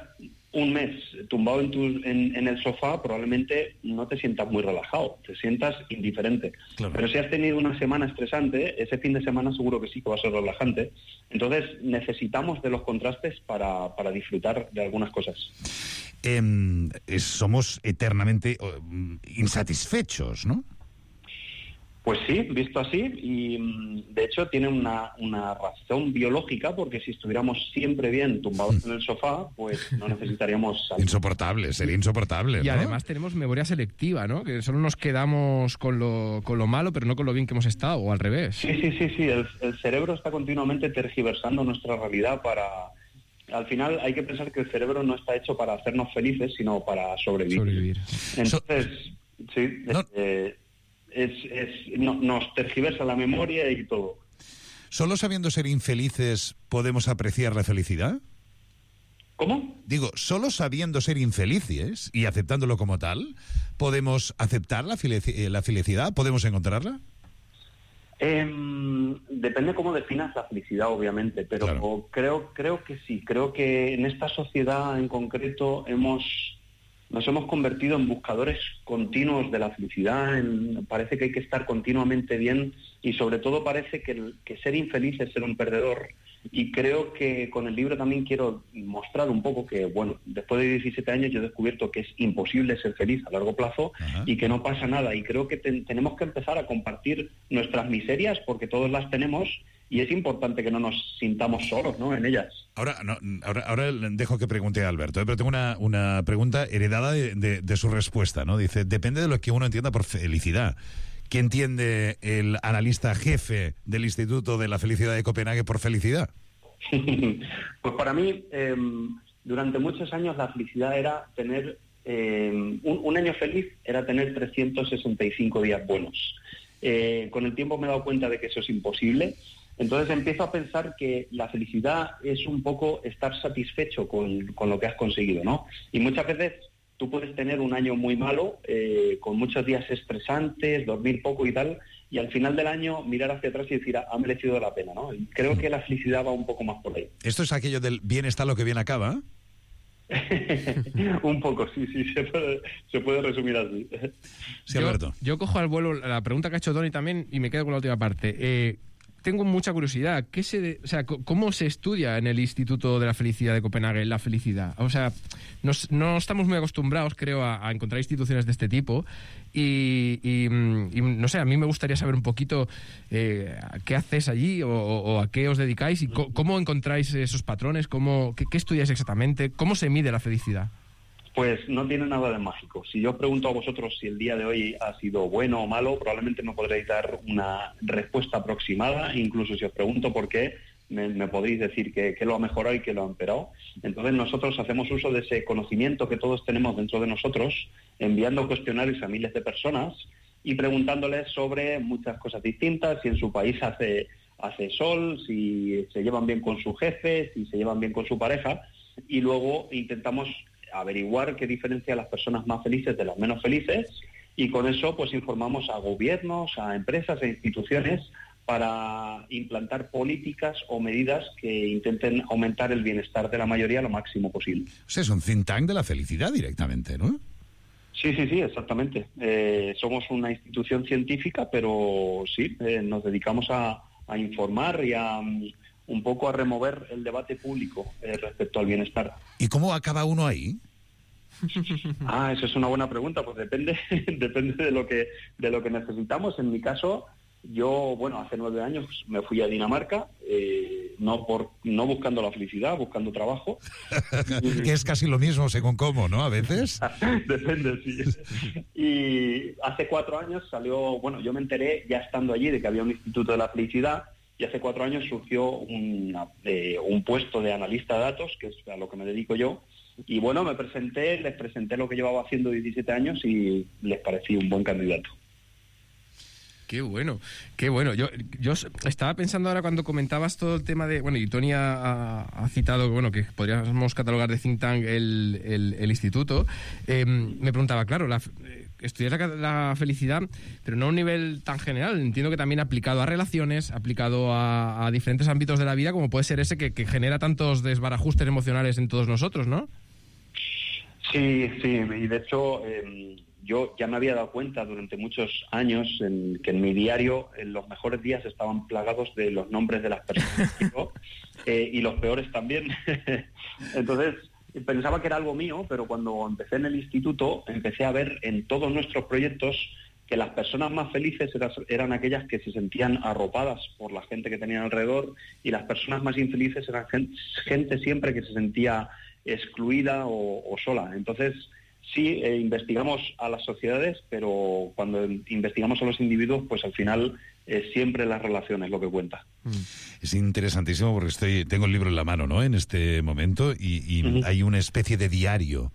un mes tumbado en el sofá, probablemente no te sientas muy relajado, te sientas indiferente. Claro. Pero si has tenido una semana estresante, ese fin de semana seguro que sí que va a ser relajante. Entonces necesitamos de los contrastes para disfrutar de algunas cosas. Somos eternamente insatisfechos, ¿no? Pues sí, visto así, y de hecho tiene una razón biológica, porque si estuviéramos siempre bien tumbados en el sofá, pues no necesitaríamos salir. Insoportable, sería insoportable, y ¿no? Además tenemos memoria selectiva, ¿no? Que solo nos quedamos con lo malo, pero no con lo bien que hemos estado, o al revés. Sí, el cerebro está continuamente tergiversando nuestra realidad para... Al final hay que pensar que el cerebro no está hecho para hacernos felices, sino para sobrevivir. Entonces, sí... nos tergiversa la memoria y todo. ¿Solo sabiendo ser infelices podemos apreciar la felicidad? ¿Cómo? Digo, ¿solo sabiendo ser infelices y aceptándolo como tal, podemos aceptar la felicidad? ¿Podemos encontrarla? Depende cómo definas la felicidad, obviamente, pero claro. creo que sí. Creo que en esta sociedad en concreto nos hemos convertido en buscadores continuos de la felicidad. Parece que hay que estar continuamente bien y sobre todo parece que ser infeliz es ser un perdedor. Y creo que con el libro también quiero mostrar un poco que, bueno, después de 17 años yo he descubierto que es imposible ser feliz a largo plazo. Ajá. Y que no pasa nada. Y creo que tenemos que empezar a compartir nuestras miserias, porque todos las tenemos, y es importante que no nos sintamos solos, ¿no?, en ellas. Ahora dejo que pregunte a Alberto, pero tengo una pregunta heredada de su respuesta, ¿no? Dice, depende de lo que uno entienda por felicidad. ¿Qué entiende el analista jefe del Instituto de la Felicidad de Copenhague por felicidad? Pues para mí, durante muchos años la felicidad era tener... un año feliz era tener 365 días buenos. Con el tiempo me he dado cuenta de que eso es imposible. Entonces empiezo a pensar que la felicidad es un poco estar satisfecho con lo que has conseguido, ¿no? Y muchas veces tú puedes tener un año muy malo, con muchos días estresantes, dormir poco y tal, y al final del año mirar hacia atrás y decir, ha merecido la pena, ¿no? Y creo que la felicidad va un poco más por ahí. Esto es aquello del bien está lo que bien acaba. Un poco, sí, se puede resumir así. Sí, Alberto. Yo cojo al vuelo la pregunta que ha hecho Toni también y me quedo con la última parte. Tengo mucha curiosidad. ¿Cómo se estudia en el Instituto de la Felicidad de Copenhague la felicidad? O sea, no estamos muy acostumbrados, creo, a encontrar instituciones de este tipo y no sé, a mí me gustaría saber un poquito qué hacéis allí o a qué os dedicáis y cómo encontráis esos patrones, qué estudiáis exactamente, cómo se mide la felicidad. Pues no tiene nada de mágico. Si yo os pregunto a vosotros si el día de hoy ha sido bueno o malo, probablemente me podréis dar una respuesta aproximada. Incluso si os pregunto por qué, me podréis decir que lo ha mejorado y que lo ha empeorado. Entonces nosotros hacemos uso de ese conocimiento que todos tenemos dentro de nosotros, enviando cuestionarios a miles de personas y preguntándoles sobre muchas cosas distintas, si en su país hace sol, si se llevan bien con su jefe, si se llevan bien con su pareja, y luego intentamos averiguar qué diferencia a las personas más felices de las menos felices, y con eso pues informamos a gobiernos, a empresas e instituciones para implantar políticas o medidas que intenten aumentar el bienestar de la mayoría lo máximo posible. O sea, es un think tank de la felicidad directamente, ¿no? Sí, exactamente. Somos una institución científica, pero sí, nos dedicamos a informar y a un poco a remover el debate público respecto al bienestar. ¿Y cómo acaba uno ahí? Eso es una buena pregunta. Pues depende de lo que necesitamos. En mi caso, yo, hace 9 años me fui a Dinamarca, no buscando la felicidad, buscando trabajo. Que es casi lo mismo según cómo, ¿no? A veces. Depende, sí. Y hace 4 años yo me enteré ya estando allí de que había un Instituto de la Felicidad. Y hace 4 años surgió un puesto de analista de datos, que es a lo que me dedico yo. Y les presenté lo que llevaba haciendo 17 años y les parecí un buen candidato. Qué bueno. Yo estaba pensando ahora cuando comentabas todo el tema de... y Toni ha citado que podríamos catalogar de think tank el instituto. Me preguntaba, claro, estudiar la felicidad, pero no a un nivel tan general. Entiendo que también aplicado a relaciones, aplicado a diferentes ámbitos de la vida, como puede ser ese que genera tantos desbarajustes emocionales en todos nosotros, ¿no? Sí, y de hecho yo ya me había dado cuenta durante muchos años que en mi diario los mejores días estaban plagados de los nombres de las personas y los peores también. Entonces pensaba que era algo mío, pero cuando empecé en el instituto empecé a ver en todos nuestros proyectos que las personas más felices eran aquellas que se sentían arropadas por la gente que tenían alrededor, y las personas más infelices eran gente siempre que se sentía excluida o sola. Entonces sí, investigamos a las sociedades, pero cuando investigamos a los individuos, pues al final siempre las relaciones lo que cuenta. Es interesantísimo porque tengo el libro en la mano, ¿no?, en este momento, y hay una especie de diario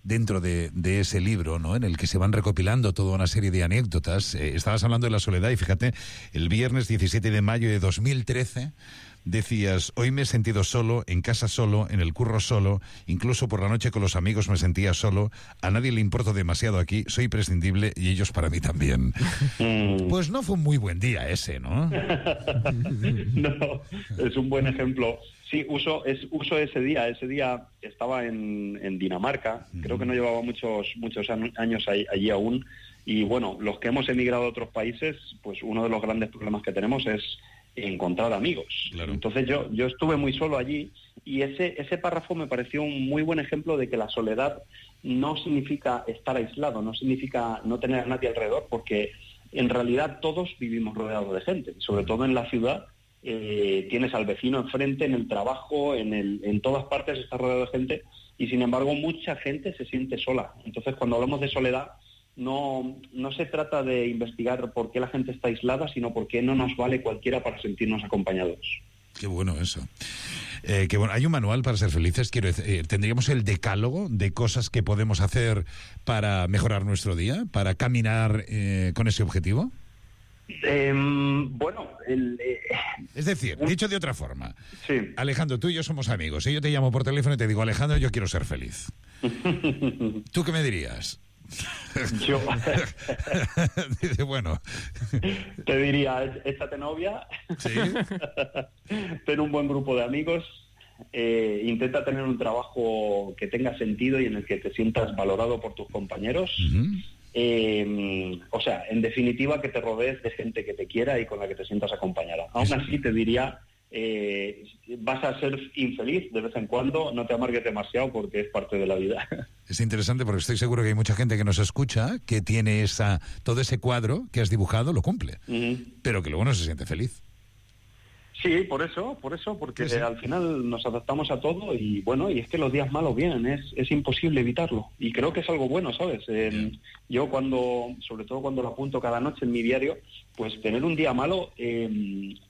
dentro de ese libro, ¿no?, en el que se van recopilando toda una serie de anécdotas. Estabas hablando de la soledad y fíjate, el viernes 17 de mayo de 2013 decías: hoy me he sentido solo, en casa solo, en el curro solo, incluso por la noche con los amigos me sentía solo, a nadie le importo demasiado aquí, soy prescindible y ellos para mí también. Pues no fue un muy buen día ese, ¿no? No, es un buen ejemplo. Sí, uso ese día. Ese día estaba en Dinamarca, creo que no llevaba muchos años allí aún, y los que hemos emigrado a otros países, pues uno de los grandes problemas que tenemos es encontrar amigos. Claro. Entonces yo estuve muy solo allí, y ese párrafo me pareció un muy buen ejemplo de que la soledad no significa estar aislado, no significa no tener a nadie alrededor, porque en realidad todos vivimos rodeados de gente, sobre todo en la ciudad. Tienes al vecino enfrente, en el trabajo, en todas partes estás rodeado de gente, y sin embargo mucha gente se siente sola. Entonces cuando hablamos de soledad no se trata de investigar por qué la gente está aislada, sino por qué no nos vale cualquiera para sentirnos acompañados. Qué bueno eso. Qué bueno. ¿Hay un manual para ser felices? Quiero decir, ¿tendríamos el decálogo de cosas que podemos hacer para mejorar nuestro día, para caminar con ese objetivo? Bueno, es decir, dicho de otra forma, sí. Alejandro, tú y yo somos amigos, y yo te llamo por teléfono y te digo, Alejandro, yo quiero ser feliz. ¿Tú qué me dirías? Yo dice, bueno, te diría, échate novia, ¿sí? ten un buen grupo de amigos, intenta tener un trabajo que tenga sentido y en el que te sientas valorado por tus compañeros. O sea, en definitiva, que te rodees de gente que te quiera y con la que te sientas acompañada. Aún así te diría, vas a ser infeliz de vez en cuando, no te amargues demasiado porque es parte de la vida. Es interesante porque estoy seguro que hay mucha gente que nos escucha que tiene todo ese cuadro que has dibujado, lo cumple, pero que luego no se siente feliz. Sí, por eso, porque sí. Al final nos adaptamos a todo y bueno, y es que los días malos vienen, es imposible evitarlo. Y creo que es algo bueno, ¿sabes? Yo sobre todo cuando lo apunto cada noche en mi diario, pues tener un día malo,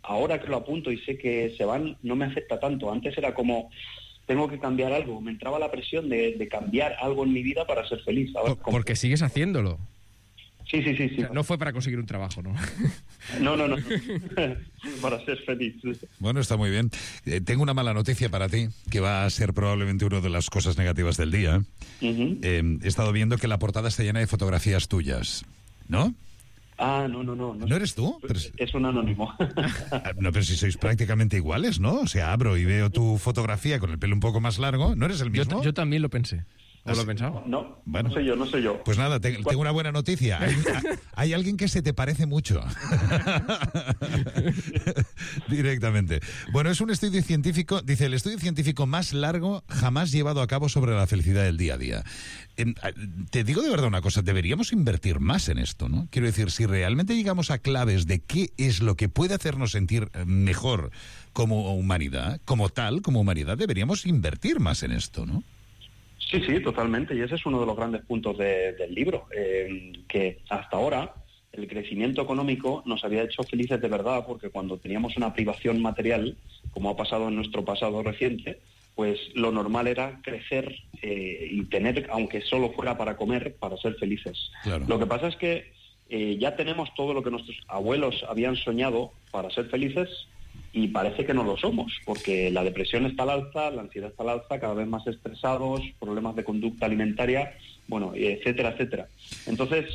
ahora que lo apunto y sé que se van, no me afecta tanto. Antes era como, tengo que cambiar algo, me entraba la presión de cambiar algo en mi vida para ser feliz. Ahora, porque sigues haciéndolo. Sí. O sea, no fue para conseguir un trabajo, ¿no? No. Para ser feliz. Bueno, está muy bien. Tengo una mala noticia para ti, que va a ser probablemente una de las cosas negativas del día. He estado viendo que la portada está llena de fotografías tuyas, ¿no? Ah, no. ¿No eres tú? Es un anónimo. No, pero si sois prácticamente iguales, ¿no? O sea, abro y veo tu fotografía con el pelo un poco más largo. ¿No eres el mismo? Yo también lo pensé. ¿O lo he pensado? No, bueno, no soy yo. Pues nada, tengo una buena noticia. Hay alguien que se te parece mucho. Directamente. Bueno, es un estudio científico, dice, el estudio científico más largo jamás llevado a cabo sobre la felicidad del día a día. Te digo de verdad una cosa, deberíamos invertir más en esto, ¿no? Quiero decir, si realmente llegamos a claves de qué es lo que puede hacernos sentir mejor como humanidad, como humanidad, deberíamos invertir más en esto, ¿no? Sí, totalmente. Y ese es uno de los grandes puntos del libro, que hasta ahora el crecimiento económico nos había hecho felices de verdad, porque cuando teníamos una privación material, como ha pasado en nuestro pasado reciente, pues lo normal era crecer y tener, aunque solo fuera para comer, para ser felices. Claro. Lo que pasa es que ya tenemos todo lo que nuestros abuelos habían soñado para ser felices, y parece que no lo somos, porque la depresión está al alza, la ansiedad está al alza, cada vez más estresados, problemas de conducta alimentaria, bueno, etcétera. Entonces,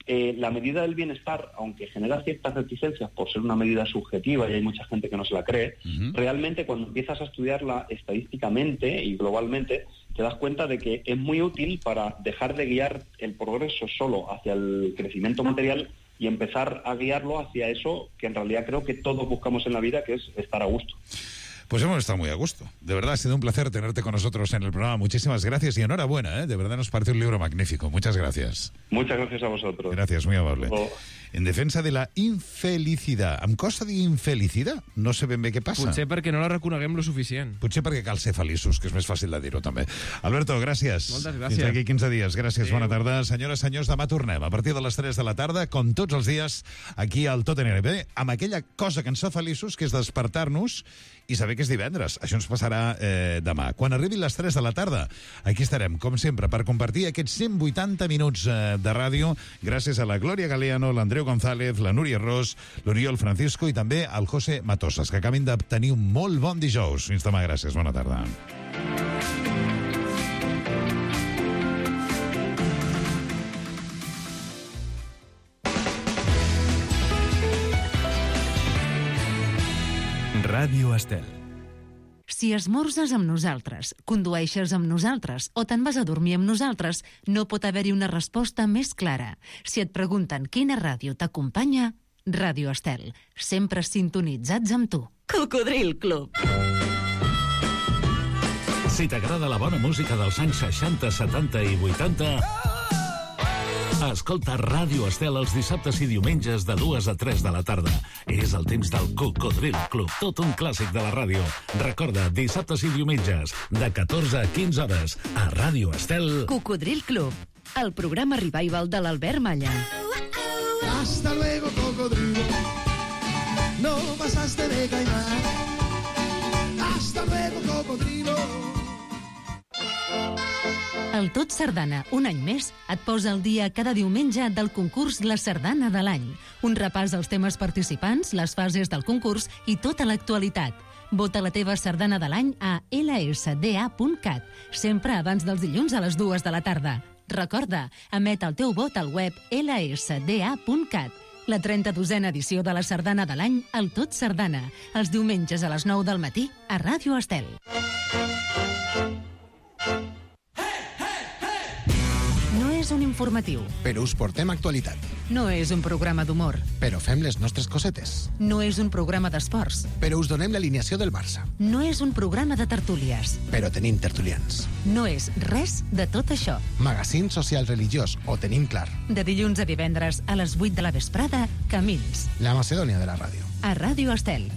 la medida del bienestar, aunque genera ciertas reticencias por ser una medida subjetiva y hay mucha gente que no se la cree, realmente cuando empiezas a estudiarla estadísticamente y globalmente, te das cuenta de que es muy útil para dejar de guiar el progreso solo hacia el crecimiento material y empezar a guiarlo hacia eso que en realidad creo que todos buscamos en la vida, que es estar a gusto. Pues hemos estado muy a gusto. De verdad, ha sido un placer tenerte con nosotros en el programa. Muchísimas gracias y enhorabuena, ¿eh? De verdad nos parece un libro magnífico. Muchas gracias. Muchas gracias a vosotros. Gracias, muy amable. En defensa de la infelicidad. Em costa dir infelicitat? No sé ben bé què passa. Potser perquè no la reconeguem lo suficient. Potser perquè cal ser feliços, que és més fàcil de dir-ho també. Alberto, gràcies. Moltes gràcies. Fins aquí 15 dies. Gràcies, bona tarda. Senyores, senyors, demà tornem a partir de les 3 de la tarda, com tots els dies, aquí al Tot anirà bé, amb aquella cosa que ens fa feliços, que és despertar-nos i saber que és divendres. Això ens passarà demà. Quan arribin les 3 de la tarda, aquí estarem, com sempre, per compartir aquests 180 minuts de ràdio, gràcies a la Glòria Galeano, l'Andreu González, la Núria Ros, l'Oriol Francisco i també al José Matosas, que acabin de tenir un molt bon dijous. Fins demà, gràcies. Bona tarda. Ràdio Estel. Si esmorzes amb nosaltres, condueixes amb nosaltres o te'n vas a dormir amb nosaltres, no pot haver-hi una resposta més clara. Si et pregunten quina ràdio t'acompanya, Ràdio Estel, sempre sintonitzats amb tu. Cocodril Club. Si t'agrada la bona música dels anys 60, 70 i 80... Escolta Ràdio Estel els dissabtes i diumenges de 2 a 3 de la tarda. És el temps del Cocodril Club, tot un clàssic de la ràdio. Recorda, dissabtes i diumenges, de 14 a 15 hores, a Ràdio Estel. Cocodril Club, el programa revival de l'Albert Malla. Hasta luego, cocodrilo. No pasaste de caimán. Hasta luego, cocodrilo. El Tot Sardana, un any més, et posa al dia cada diumenge del concurs La Sardana de l'any. Un repàs als temes participants, les fases del concurs i tota l'actualitat. Vota la teva sardana de l'any a lsda.cat, sempre abans dels dilluns a les 2 de la tarda. Recorda, emet el teu vot al web lsda.cat. La 32a edició de la sardana de l'any, el Tot Sardana, els diumenges a les 9 del matí a Ràdio Estel. No és un informatiu. Però us portem actualitat. No és un programa d'humor. Però fem les nostres cosetes. No és un programa d'esports. Però us donem l'alineació del Barça. No és un programa de tertúlies. Però tenim tertulians. No és res de tot això. Magazín social religiós, ho tenim clar. De dilluns a divendres a les 8 de la vesprada, Camins. La Macedònia de la ràdio. A Ràdio Estel.